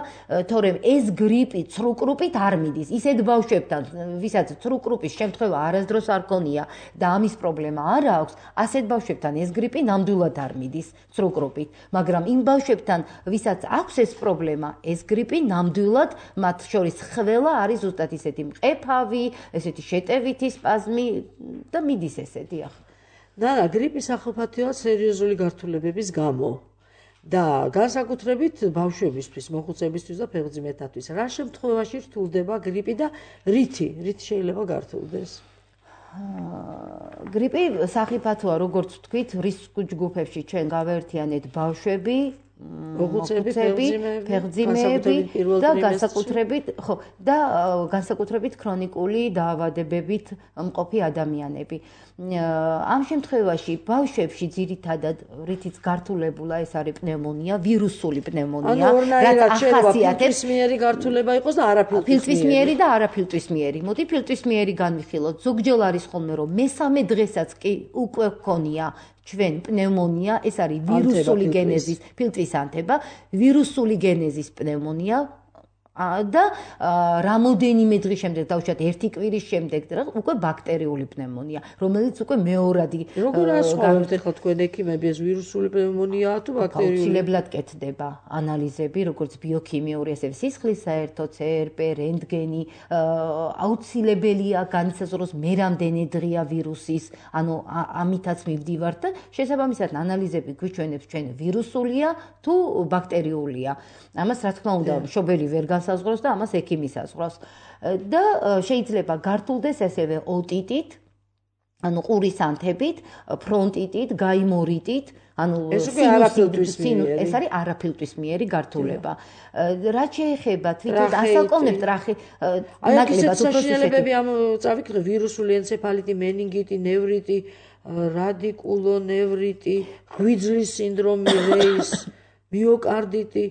თორემ ეს გრიპი ცრუკრუპით არ მიდის. ისეთ ბავშვებთან, ვისაც ცრუკრუპის შემთხვევა არასდროს არ ქონია და ამის პრობლემა არ აქვს, ასეთ ბავშვებთან ეს გრიპი ნამდვილად არ მიდის ცრუკრუპით, მაგრამ იმ ბავშვებთან, ვისაც აქვს ეს პრობლემა, ეს გრიპი ნამდვილად მათ შორის ხველა არის ზუსტად ისეთი მყეფავი, ესეთი შეტევითი სპაზმი და მიდის ესე, დიახ. და გრიპის ახალფათოა სერიოზული გართულებების გამო. და განსაკუთრებით ბავშვებისთვის, მოხუცებისთვის და ფეხმძიმეთათვის. რა შემთხვევაში რთულდება გრიპი და რითი, რით შეიძლება გართულდეს? გრიპი სახიფათოა, როგორც ვთქვით, რისკ ჯგუფებში ჩვენ გავაერთიანეთ ბავშვები, მოხუცები, ფეხმძიმეები და განსაკუთრებით, ხო, და განსაკუთრებით ქრონიკული დაავადებებით მყოფი ადამიანები. ამ შემთხვევაში ბავშვებში ძირითადად რითიც გართულებულა ეს არის პნევმონია, ვირუსული პნევმონია, რაც ახასიათებს ფილტვისმიერი გართულება იყოს და არაფილტვისმიერი. ფილტვისმიერი და არაფილტვისმიერი. მოდი ფილტვისმიერი განვიხილოთ. ზოგჯერ არის ხოლმე რომ მესამე დღესაც კი უკვე გქონია ჩვენ პნევმონია, ეს არის ვირუსული გენეზის ფილტვის ანთება, ვირუსული გენეზის პნევმონია და რამოდენიმე დღის შემდეგ, დავუშვათ ერთი კვირის შემდეგ, უკვე ბაქტერიული პნევმონია, რომელიც უკვე მეორადი. როგორ ასხვავებთ ახლა თქვენ ექიმები, ეს ვირუსული პნევმონიაა თუ ბაქტერიული? აუცილებლად კეთდება ანალიზები, როგორც ბიოქიმიური, ასევე სისხლის საერთო ცერპე, რენტგენი, აუცილებელია განისაზღვროს მე რამდენი დღეა ვირუსის, ანუ ამითაც მივდივართ და შესაბამისად ანალიზები გვიჩვენებს ჩვენ ვირუსულია თუ ბაქტერიულია. ამას რა თქმა უნდა, მშობელი ვერ განსაზღვროს და ამას ექიმი საზღვრავს. და შეიძლება გართულდეს ესევე ოტიტით, ანუ ყურის ანთებით, ფრონტიტით, გაიმორიტით, ანუ ეს უკვე არაფილტვისმიერი. ეს არის არაფილტვისმიერი გართულება. რაც შეეხება თვითონ ასაკოვნებს ტრახი, ნაკლებად უფრო საშინელებები ამ წავიკრე ვირუსული ენცეფალიტი, მენინგიტი, ნევრიტი, რადიკულონევრიტი, გვიძლის სინდრომი, რეის მიოკარდიტი,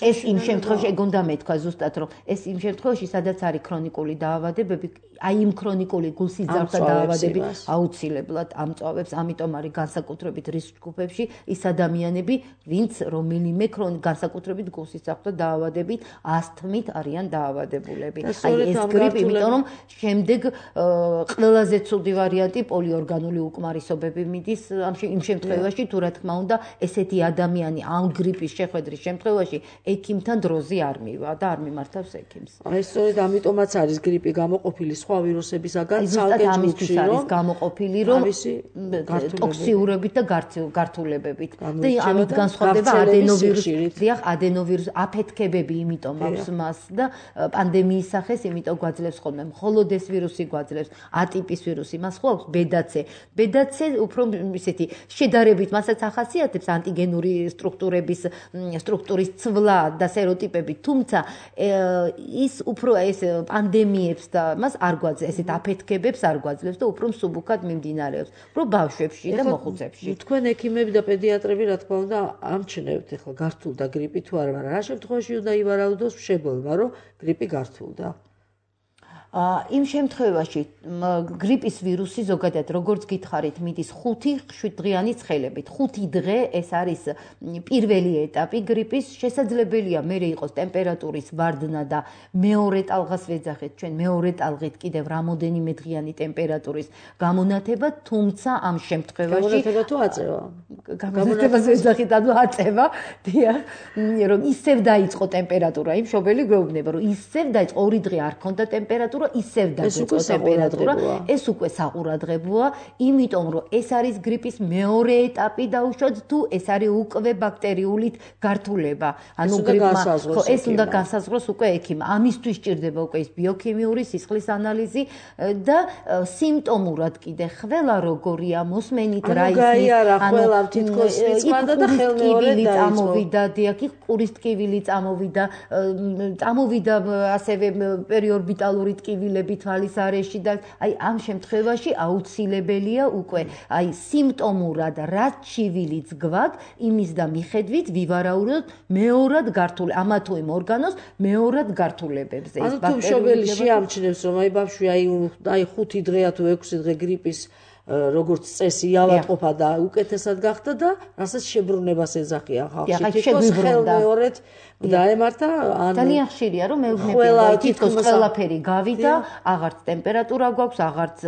ეს იმ შემთხვევაში გონდა მეთქვა ზუსტად რომ ეს იმ შემთხვევაში სადაც არის ქრონიკული დაავადებები, აი იმ ქრონიკული გულსიძართა დაავადები აუცილებლად ამწვავებს, ამიტომ არის განსაკუთრებით რისკ ჯგუფებში ის ადამიანები, ვინც რომელიმე განსაკუთრებით გულსიძართა დაავადებით, ასთმით არიან დაავადებულები. აი ეს გრიპი, იმიტომ რომ შემდეგ ყველაზე ცუდი ვარიანტი პოლიორგანული უკმარისობები მიდის, ამ იმ შემთხვევაში თუ რა თქმა უნდა ესეთი ადამიანი ამ გრიპ გრიპის შეხვედრის შემთხვევაში ექიმთან დროზე არ მივა და არ მიმართავს ექიმს. აი სწორედ ამიტომაც არის გრიპი გამოყოფილი სხვა ვირუსებისაგან ცალკე ჯგუფში, რომ არის გამოყოფილი, რომ ტოქსიურობით და გართულებებით. და ამით განსხვავდება ადენოვირუსი, დიახ, ადენოვირუსი აფეთქებები იმიტომ აქვს მას და პანდემიის სახეს იმიტომ გვაძლევს ხოლმე. მხოლოდ ეს ვირუსი გვაძლევს, ატიპის ვირუსი, მას ხო აქვს ბედაცე. ბედაცე უფრო ისეთი შედარებით მასაც ახასიათებს ანტიგენური სტრუქტურების სტრუქტურის ცვლა და სეროტიპები, თუმცა ის უფრო ეს პანდემიებს და მას არ გვაძლევს, ესეთ აფეთქებებს არ გვაძლევს და უფრო მსუბუქად მიმდინარეობს, უფრო ბავშვებში და მოხუცებში. თქვენ ექიმები და პედიატრები რა თქმა უნდა ამჩნევთ ახლა გართულდა გრიპი თუ არა, მაგრამ რა შემთხვევაში უნდა ივარაუდოს მშობელმა, რომ გრიპი გართულდა? იმ შემთხვევაში გრიპის ვირუსი ზოგადად როგორც გითხარით მიდის ხუთი შვიდდღიანი ცხელებით. ხუთი დღე ეს არის პირველი ეტაპი გრიპის. შესაძლებელია მერე იყოს ტემპერატურის ვარდნა და მეორე ტალღას ვეძახეთ ჩვენ მეორე ტალღით კიდევ რამოდენიმე დღიანი ტემპერატურის გამონათება, თუმცა ამ შემთხვევაში გამონათება თუ აწევა? გამონათებას ვეძახით, ანუ აწევა, დიახ, რომ ისევ დაიწყო ტემპერატურა, იმ მშობელი გვეუბნება, რომ ისევ დაიწყო ორი დღე არ ქონდა ტემპერატურა ისევ დაიწყო ტემპერატურა, ეს უკვე საყურადღებოა, იმიტომ რომ ეს არის გრიპის მეორე ეტაპი დაუშვათ თუ ეს არის უკვე ბაქტერიული გართულება. ანუ გრიპმა ხო ეს უნდა განსაზღვროს უკვე ექიმ. ამისთვის სჭირდება უკვე ის ბიოქიმიური სისხლის ანალიზი და სიმპტომურად კიდე ხველა როგორია, მოსმენით რა ის გაიარა ხველა თითქოს მიწმანდა და ხელმეორედ წამოვიდა, დიახ, ყურის ტკივილი წამოვიდა, წამოვიდა ასევე პერიორბიტალური ტკივილები თვალის არეში და აი ამ შემთხვევაში აუცილებელია უკვე აი სიმპტომურად რაც ჩივილიც გვაქვს, იმის და მიხედვით ვივარაუდოთ მეორად გართულ ამა თუ იმ ორგანოს მეორად გართულებებზე. ეს ბაქტერიული ანუ თუ მშობელი შეამჩნევს რომ აი ბავშვი აი აი ხუთი დღეა თუ ექვსი დღე გრიპის როგორც წესი ავატყოფა და უკეთესად გახდა და რასაც შებრუნებას ეძახია ხალხში. თითქოს ხელმეორედ დაემართა ან ძალიან ხშირია რომ მეუბნებიან თითქოს ყველაფერი გავიდა, აღარც ტემპერატურა გვაქვს, აღარც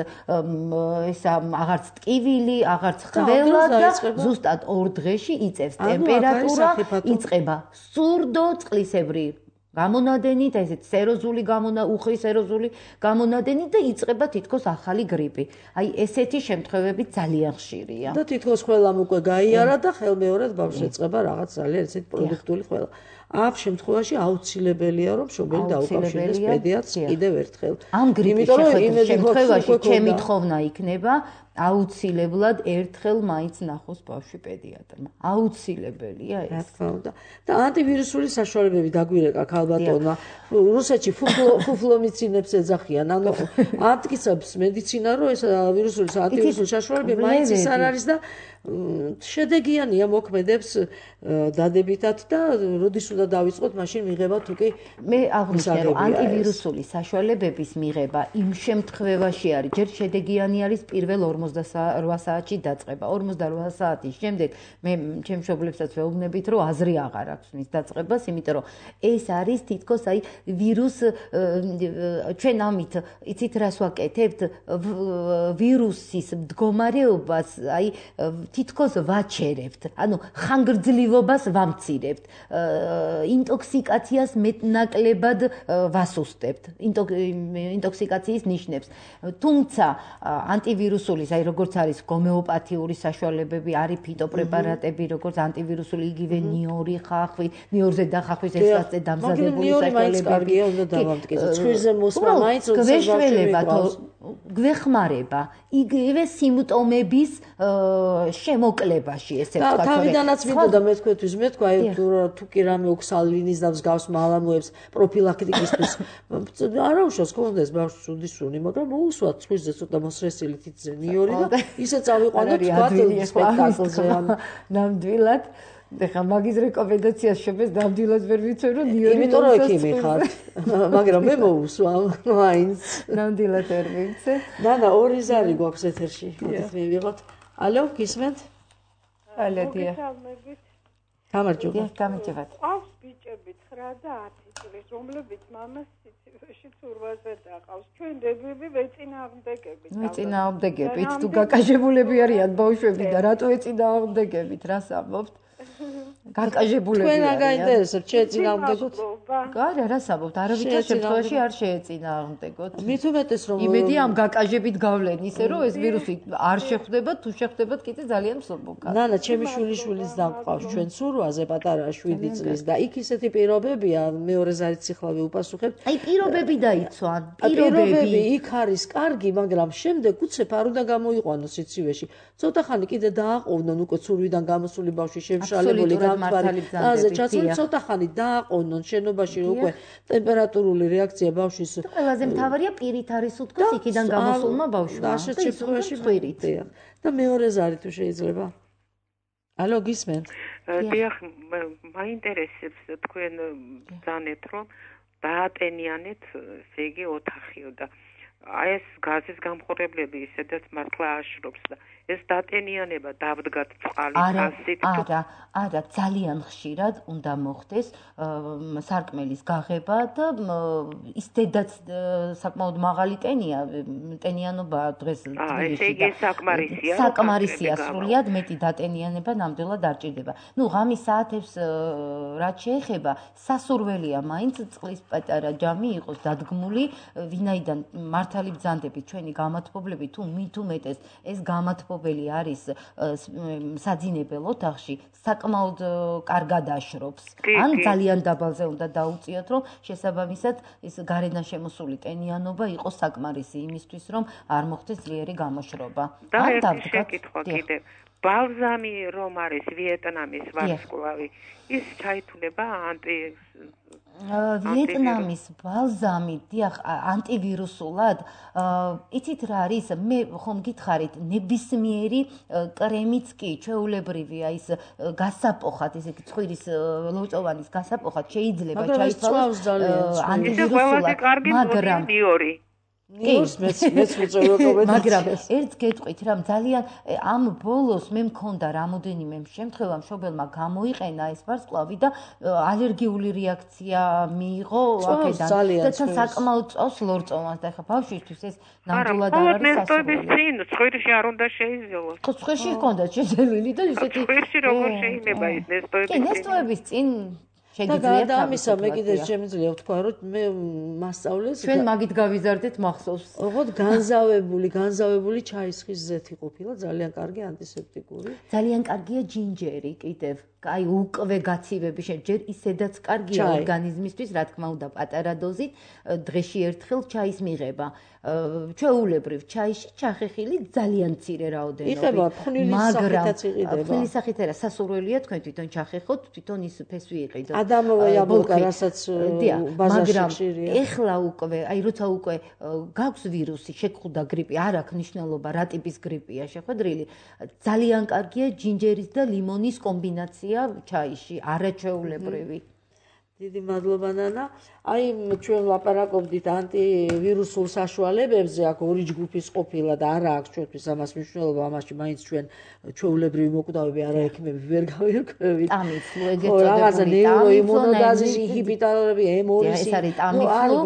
ესა აღარც ტკივილი, აღარც ხველა და ზუსტად ორ დღეში იწევს ტემპერატურა, იწყება სურდო წყლისებრი გამონადენით, ესეთ სეროზული გამონა, უხრი სეროზული გამონადენით და იწყება თითქოს ახალი გრიპი. აი ესეთი შემთხვევები ძალიან ხშირია. და თითქოს ყველამ უკვე გაიარა და ხელმეორედ ბავშვს ეწყება რაღაც ძალიან ესეთ პროდუქტული ხველა. ამ შემთხვევაში აუცილებელია რომ მშობელი დაუკავშირდეს პედიატრს კიდევ ერთხელ. ამ გრიპის შეხვედრის შემთხვევაში ჩემი თხოვნა იქნება აუცილებლად ერთხელ მაინც ნახოს ბავშვი პედიატრმა. აუცილებელია ეს. რა თქმა უნდა. და ანტივირუსული საშუალებები დაგვირეკა ქალბატონმა. რუსეთში ფუფლომიცინებს ეძახიან. ანუ ამტკიცებს მედიცინა რომ ეს ვირუსული ანტივირუსული საშუალებები მაინც ის არ არის და შედეგიანია მოქმედებს დადებითად და როდის უნდა დავიწყოთ მაშინ მიღება თუ კი მე აღვნიშნე რომ ანტივირუსული საშუალებების მიღება იმ შემთხვევაში არის ჯერ შედეგიანი არის პირველ ორმოცდაოთხ საათში დაწყება. ორმოცდაოთხ საათის შემდეგ მე ჩემ მშობლებსაც ვეუბნებით რომ აზრი აღარ აქვს მის დაწყებას, იმიტომ რომ ეს არის თითქოს აი ვირუს ჩვენ ამით იცით რას ვაკეთებთ ვირუსის მდგომარეობას აი თითქოს ვაჩერებთ, ანუ ხანგრძლივობას ვამცირებთ, ინტოქსიკაციას მეტნაკლებად ვასუსტებთ, ინტოქსიკაციის ნიშნებს. თუმცა ანტივირუსული, აი როგორც არის გომეოპათიური საშუალებები, არის ფიტოპრეპარატები, როგორც ანტივირუსული იგივე ნიორი ხახვი, ნიორზე დახახვის ესაცე დამზადებული საშუალებები. ცხვირზე მოსმა მაინც გვეშველება გვეხმარება იგივე სიმპტომების შემოკლებაში, ესე ვთქვათ. თავიდანაც მინდოდა მე თქვენთვის მეთქვა, აი თუ კი რამე ოქსალვინის და მსგავს მალამოებს პროფილაქტიკისთვის არა უშავს კონდეს ბავშვს უდისუნი, მაგრამ მოусვათ ცხვირზე ცოტა მოსრესილი თითზე ნიორი და ისე წავიყვანოთ თქვათ სპექტაკლზე. ნამდვილად ეხლა მაგის რეკომენდაციას შევეს ნამდვილად ვერ ვიცოდი რომ ნიორი იმიტომ რომ ექიმი ხარ, მაგრამ მე მოусვა მაინც ნამდვილად ვერ ვიცე. დანა ორი ზარი გვაქვს ეთერში. მოდით მივიღოთ. ალო, გისმენთ? ალო, დიახ. გამარჯობა. გამარჯობათ. ყავს ბიჭები ცხრა და ათი წლის, რომლებიც მამას სიცივეში ცურვაზე დაყავს. ჩვენ დებები ვეწინააღმდეგებით. ვეწინააღმდეგებით. თუ გაკაშებულები არიან ბავშვები და რატო ეწინააღმდეგებით? რას ამბობთ? გაკაჟებულები არიან. თქვენ გაინტერესებთ შეეწინააღმდეგოთ? არა, რა საბობთ, არავითარ შემთხვევაში არ შეეწინააღმდეგოთ. მით უმეტეს რომ იმედი ამ გაკაჟებით გავლენ ისე რომ ეს ვირუსი არ შეხვდება, თუ შეხვდებათ კიდე ძალიან მსუბუქა. ნანა, ჩემი შვილიშვილის დამყავს ჩვენ სურვაზე პატარა შვიდი წლის და იქ ისეთი პირობებია, მეორე ზარით სიხლავე უპასუხებთ. აი პირობები დაიცვან, პირობები იქ არის კარგი, მაგრამ შემდეგ უცებ არ უნდა გამოიყვანოს სიცივეში. ცოტა ხანი კიდე დააყოვნონ უკვე ცურვიდან გამოსული ბავშვი შემშალებული გამთვარი. აზე ჩაცული ცოტა ხანი დააყოვნონ შენობაში უკვე ტემპერატურული რეაქცია ბავშვის. ყველაზე მთავარია პირით არის უთქოს იქიდან გამოსულმა ბავშვმა. და ასეთ შემთხვევაში ხვირით. და მეორე ზარი თუ შეიძლება. ალო გისმენთ? დიახ, მაინტერესებს თქვენ ბრძანეთ რომ დაატენიანეთ, ესე იგი ოთახიო და აი ეს გაზის გამხურებლები ისედაც მართლა აშრობს და ეს დატენიანება დავდგათ წყალი ასით არა, არა, ძალიან ხშირად უნდა მოხდეს სარკმელის გაღება და ის დედაც საკმაოდ მაღალი ტენია, ტენიანობა დღეს ესე იგი საკმარისია. საკმარისია სრულიად მეტი დატენიანება ნამდვილად არ ჭირდება. ნუ ღამის საათებს რაც შეეხება, სასურველია მაინც წყლის პატარა ჯამი იყოს დადგმული, ვინაიდან მართალი ბრძანდებით ჩვენი გამათბობლები თუ მით უმეტეს ეს გამათბობელი არის საძინებელ ოთახში, საკმაოდ კარგად აშრობს. ან ძალიან დაბალზე უნდა დაუწიოთ, რომ შესაბამისად ეს გარედან შემოსული ტენიანობა იყოს საკმარისი იმისთვის, რომ არ მოხდეს ძლიერი გამოშრობა. ან დავდგათ კიდე ბალზამი რომ არის ვიეტნამის ვარსკვლავი, ის ჩაითვლება ანტი ვიეტნამის ბალზამი, დიახ, ანტივირუსულად, იცით რა არის, მე ხომ გითხარით, ნებისმიერი კრემიც კი, ჩვეულებრივია ის გასაპოხად, ესე იგი ცხვირის ლოწოვანის გასაპოხად შეიძლება ჩაითვალოს ანტივირუსულად, მაგრამ ნიორს მეც მეც უწევია მაგრამ ერთ გეტყვით რა ძალიან ამ ბოლოს მე მქონდა რამოდენიმე შემთხვევა მშობელმა გამოიყენა ეს ვარსკვლავი და ალერგიული რეაქცია მიიღო აქედან და საკმაოდ წავს ლორწოვანს და ეხა ბავშვისთვის ეს ნამდვილად არ არის სასურველი. ცხვირში არ უნდა შეიზოლოს. ხო ცხვირში ჰქონდა შეძელვილი და ისეთი ცხვირში როგორ შეიძლება ის ნესტოების წინ? კი ნესტოების წინ და ამისა მე კიდე შემიძლია ვთქვა რომ მე მასწავლეს ჩვენ მაგით გავიზარდეთ მახსოვს ოღონდ განზავებული განზავებული ჩაისხის ზეთი ყოფილა ძალიან კარგი ანტისეპტიკური ძალიან კარგია ჯინჯერი კიდევ აი უკვე გაცივები შეჯერ ისედაც კარგია ორგანიზმისთვის რა თქმა უნდა პატარა დოზით დღეში ერთხელ ჩაის მიღება ჩვეულებრივ ჩაიში ჩახეხილი ძალიან მცირე რაოდენობით მაგრამ ფხნილის სახით არა სასურველია თქვენ თვითონ ჩახეხოთ თვითონ ის ფესვი იყიდოთ ადამოვა იაბოლკა რასაც ბაზარში ხშირია ეხლა უკვე აი როცა უკვე გაქვს ვირუსი შეგხვდა გრიპი არ აქვს მნიშვნელობა რა ტიპის გრიპია შეხვედრილი ძალიან კარგია ჯინჯერის და ლიმონის კომბინაცია ჩაიში არაჩვეულებრივი დიდი მადლობა ნანა აი ჩვენ ლაპარაკობდით ანტივირუსულ საშუალებებზე აქ ორი ჯგუფის ყოფილა და არა აქვს ჩვენთვის ამას მნიშვნელობა ამაში მაინც ჩვენ ჩვეულებრივი მოკვდავები არაექიმები ვერ გავერკვევით ტამიფლუ ეგეთ წოდებული რაღაცა ნეიროიმუნოდაზის ინჰიბიტორები ემორისი ეს არის ტამიფლუ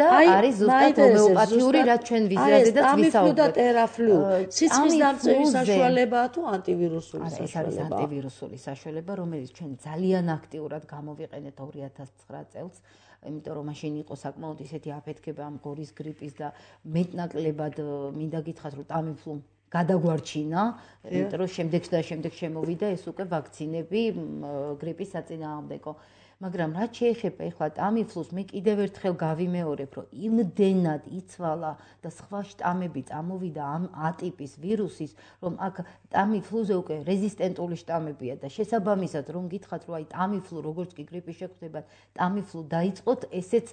და არის ზუსტად ჰომეოპათიური რაც ჩვენ ვიზრადეთ და ვისაუბრეთ ტამიფლუ და ტერაფლუ სიცხის დამწევის საშუალებაა თუ ანტივირუსული საშუალება ეს არის ანტივირუსული საშუალება რომელიც ჩვენ ძალიან აქტიურად გამოვიყენეთ ორი ათას ცხრა წელს იმიტომ რომ მაშინ იყო საკმაოდ ისეთი აფეთქება ამ გორის გრიპის და მეტნაკლებად მინდა გითხრათ რომ ტამიფლუ გადაგვარჩინა იმიტომ რომ შემდეგ და შემდეგ შემოვიდა ეს უკვე ვაქცინები გრიპის საწინააღმდეგო მაგრამ რაც შეეხება ეხლა ტამიფლუს მე კიდევ ერთხელ გავიმეორებ რომ იმდენად იცვალა და სხვა შტამები წამოვიდა ამ ატიპის ვირუსის რომ აქ ტამიფლუზე უკვე რეზისტენტული შტამებია და შესაბამისად რომ გითხრათ რომ აი ტამიფლუ როგორც კი გრიპი შეხვდება ტამიფლუ დაიწყოთ ესეც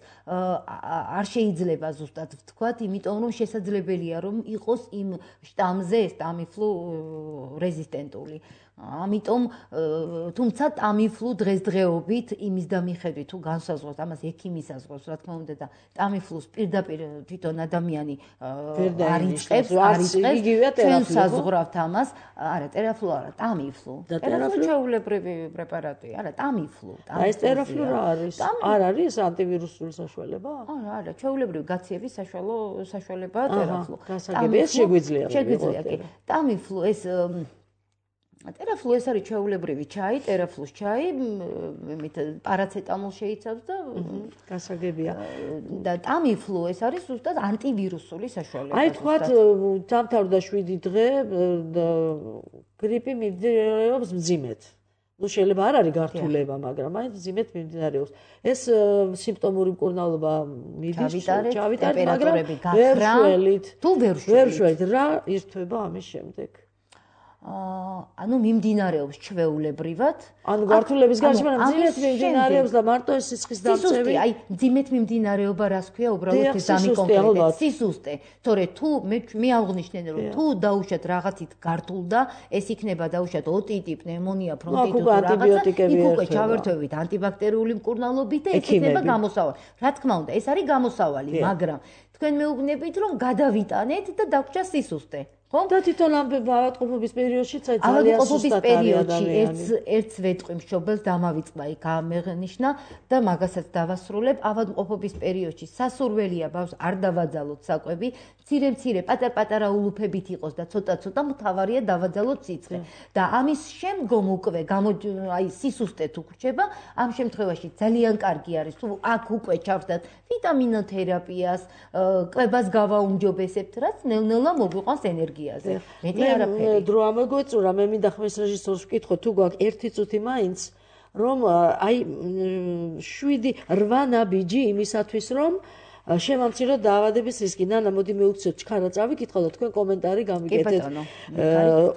არ შეიძლება ზუსტად ვთქვათ იმიტომ რომ შესაძლებელია რომ იყოს იმ შტამზე ეს ტამიფლუ რეზისტენტული ამიტომ თუმცა ტამიფლუ დღესდღეობით იმის და მიხედვით თუ განსაზღვროთ ამას ექიმი საზღვრავს რა თქმა უნდა და ტამიფლუს პირდაპირ თვითონ ადამიანი არ იწყებს არ იწყებს ჩვენ საზღვრავთ ამას არა ტერაფლუ არა ტამიფლუ ტერაფლუ ჩვეულებრივი პრეპარატია არა ტამიფლუ და ეს ტერაფლუ რა არის არ არის ანტივირუსული საშუალება არა არა ჩვეულებრივი გაციების საშუალო საშუალებაა ტერაფლუ გასაგებია შეგვიძლია შეგვიძლია კი ტამიფლუ ეს ტერაფლუ ეს არის ჩვეულებრივი ჩაი, ტერაფლუს ჩაი, მით პარაცეტამოლ შეიცავს და გასაგებია. და ტამიფლუ ეს არის ზუსტად ანტივირუსული საშუალება. აი თქვათ დამთავრდა შვიდი დღე და გრიპი მიმდინარეობს მძიმედ. ну შეიძლება არ არის გართულება, მაგრამ აი მძიმედ მიმდინარეობს. ეს სიმპტომური მკურნალობა მიდის, ჩავიტარეთ, მაგრამ ვერ შველით. თუ ვერ შველით. ვერ შველით, რა ირთვება ამის შემდეგ? ანუ მიმდინარეობს ჩვეულებრივად. ანუ გართულების გარშემო მძიმედ მიმდინარეობს და მარტო ეს სისხლის დამწევი. აი მძიმედ მიმდინარეობა რას ქვია უბრალოდ ეს დამიკონკრეტეთ. სისუსტე. თორე თუ მე მე აღნიშნე რომ თუ დაუშვათ რაღაცით გართულდა, ეს იქნება დაუშვათ ოტიტი, პნევმონია, ფრონტიტი თუ რაღაცა, იქ უკვე ჩავერთვებით ანტიბაქტერიული მკურნალობით და ეს იქნება გამოსავალი. რა თქმა უნდა, ეს არის გამოსავალი, მაგრამ თქვენ მეუბნებით რომ გადავიტანეთ და დაგვრჩა სისუსტე. და თვითონ ამ ავადმყოფობის პერიოდშიც ძალიან სუსტად არის ადამიანი. ერთს ერთს ვეტყვი მშობელს დამავიწყდა იქ ამეღნიშნა და მაგასაც დავასრულებ. ავადმყოფობის პერიოდში სასურველია ბავშვს არ დავაძალოთ საკვები, მცირე-მცირე პატარ-პატარა ულუფებით იყოს და ცოტა-ცოტა მთავარია დავაძალოთ სიცხე. და ამის შემდგომ უკვე აი სისუსტე თუ გრჩება, ამ შემთხვევაში ძალიან კარგი არის თუ აქ უკვე ჩავსდათ ვიტამინოთერაპიას, კვებას გავაუმჯობესებთ, რაც ნელ-ნელა მოგვიყვანს ენერგია. მეტი არაფერი. დრო ამოგვეწურა, მე მინდა ხმის რეჟისორს ვკითხო, თუ გვაქვს ერთი წუთი მაინც, რომ აი შვიდი რვა ნაბიჯი იმისათვის, რომ შემამციროთ დაავადების რისკი. ნანა, მოდი მივუქცევთ ჩქარა წავიკითხო და თქვენ კომენტარი გამიგეთეთ.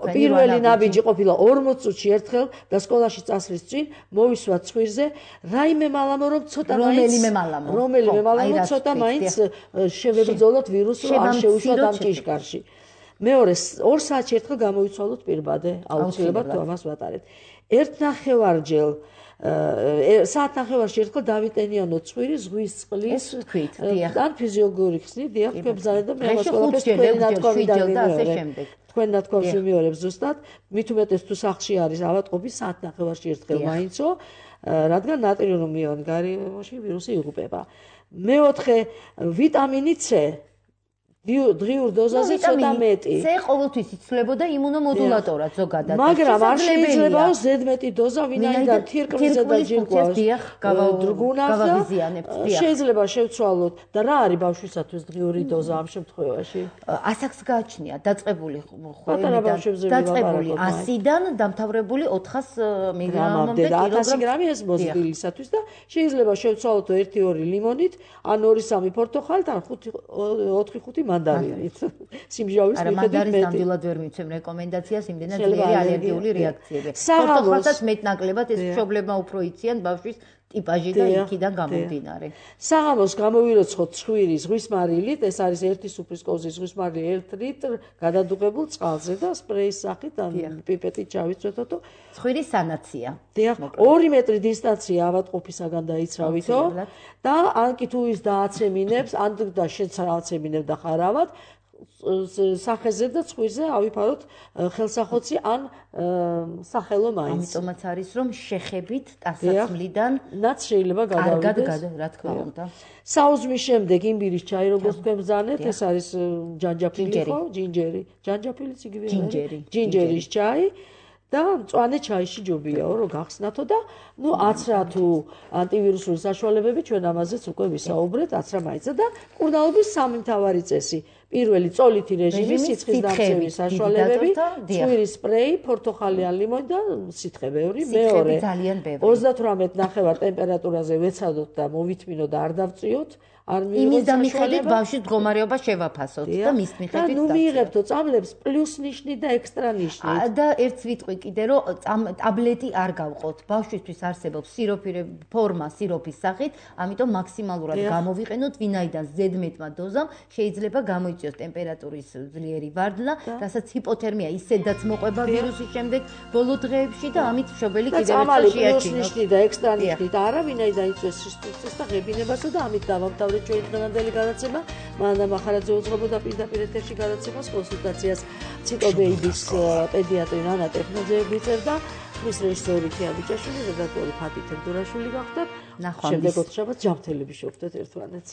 პირველი ნაბიჯი ყოფილა ორმოც წუთში ერთხელ და სკოლაში წასვლის წინ მოვისვა ცხვირზე. რაიმე მალამო რომ ცოტა მაინც რომელიმე მალამო. რომელიმე მალამო ცოტა მაინც შევებრძოლოთ ვირუსს, რომ არ შეუშვათ ამ ჭიშკარში. მეორე ორ საათში ერთხელ გამოვიცვალოთ პირბადე, აუცილებლად თუ ამას ვატარებთ. ერთ ნახევარჯერ საათ ნახევარში ერთხელ დავიტენიანოთ ცხვირი ზღვის წყლის ან ფიზიოლოგიური ხსნით, დიახ, თქვენ ბრძანეთ და მე ამას ყველაფერს თქვენი ნათქვამი დავიმეორებ. თქვენ ნათქვამს ვიმეორებ ზუსტად, მით უმეტეს თუ სახლში არის ავადმყოფი საათ ნახევარში ერთხელ მაინცო, რადგან ნატრიუმიანი გარემოში ვირუსი იღუპება. მეოთხე ვიტამინი C დღიურ დოზაზე ცოტა მეტი. C ყოველთვის იცვლებოდა იმუნომოდულატორად ზოგადად. მაგრამ არ შეიძლება ზედმეტი დოზა ვინაიდან თირკმლზე და ჯირკვლის დრგუნავს და შეიძლება შევცვალოთ. და რა არის ბავშვისათვის დღიური დოზა ამ შემთხვევაში? ასაკს გააჩნია დაწყებული ხვევიდან, დაწყებული ასიდან დამთავრებული ოთხას მილიგრამამდე ათასი გრამი ეს მოზრდილისათვის და შეიძლება შევცვალოთ ერთი ორი ლიმონით, ან ორი სამი პორტოხალით, ან ოთხი ხუთი მანდარინით. სიმჟავის მიხედვით მეტი. მანდარინს ნამდვილად ვერ მიცემ რეკომენდაციას, იმდენად ძლიერი ალერგიული რეაქციები. პორტოხალსაც მეტნაკლებად ეს მშობლებმა უფრო იციან ბავშვის ტიპაჟი და იქიდან გამომდინარე. საღამოს გამოვიროცხოთ ცხვირი ზღვის მარილით, ეს არის ერთი სუფრის კოვზი ზღვის მარილი ერთ ლიტრ გადადუღებულ წყალზე და სპრეის სახით ან პიპეტით ჩავიცვეთოთო. ცხვირის სანაცია. დიახ, ორი მეტრი დისტანცია ავადმყოფისაგან დაიცრავითო და ან კი თუ ის დააცემინებს, ან და შეცაცემინებ და ხარავად სახეზე და ცხვირზე ავიფაროთ ხელსახოცი ან სახელო მაინც. ამიტომაც არის რომ შეხებით ტანსაცმლიდან რაც შეიძლება გადავიდეს. კარგად, რა თქმა უნდა. საუზმის შემდეგ იმბირის ჩაი როგორც თქვენ ბრძანეთ, ეს არის ჯანჯაფილი ხო? ჯინჯერი. ჯანჯაფილიც იგივე არის. ჯინჯერის ჩაი. და მწვანე ჩაიში ჯობიაო რომ გახსნათო და ნუ აცრა თუ ანტივირუსული საშუალებები ჩვენ ამაზეც უკვე ვისაუბრეთ, აცრა მაინცა და მკურნალობის სამი მთავარი წესი. პირველი წოლითი რეჟიმი, სიცხის დამცემის საშუალებები, ცხვირის სპრეი, პორტოხალი ან ლიმონი და სითხე ბევრი. მეორე ოცდათვრამეტ ნახევარ ტემპერატურაზე ვეცადოთ და მოვითმინოთ და არ დავწიოთ. იმის და მიხედვით ბავშვის მდგომარეობა შევაფასოთ და მის მიხედვით და ნუ მიიღებთო წამლებს პლუს ნიშნით და ექსტრა ნიშნით. და ერთს ვიტყვი კიდე რომ ტაბლეტი არ გავყოთ. ბავშვისთვის არსებობს სიროფი ფორმა სიროფის სახით, ამიტომ მაქსიმალურად გამოვიყენოთ, ვინაიდან ზედმეტმა დოზამ შეიძლება გამოიწვიოს ტემპერატურის ძლიერი ვარდნა, რასაც ჰიპოთერმია ისედაც მოყვება ვირუსის შემდეგ ბოლო დღეებში და ამით მშობელი კიდევ ერთხელ შეაჩინოს. და ექსტრა ნიშნით არა, ვინაიდან იწვევს სისხლის და ღებინებასა და ამით დავამთავრეთ ჩვენი დღევანდელი გადაცემა. მანდა მახარაძე უძღვებოდა პირდაპირ ეთერში გადაცემას, კონსულტაციას ციტობეიბის პედიატრი ნანა ტექნოძე ვიწერდა, მის რეჟისორი ქია ბიჭაშვილი, რედაქტორი ფათი თევდორაშვილი გახდათ. ნახვამდის. შემდეგ ოთხშაბათს ჯანმრთელები შევხვდეთ ერთმანეთს.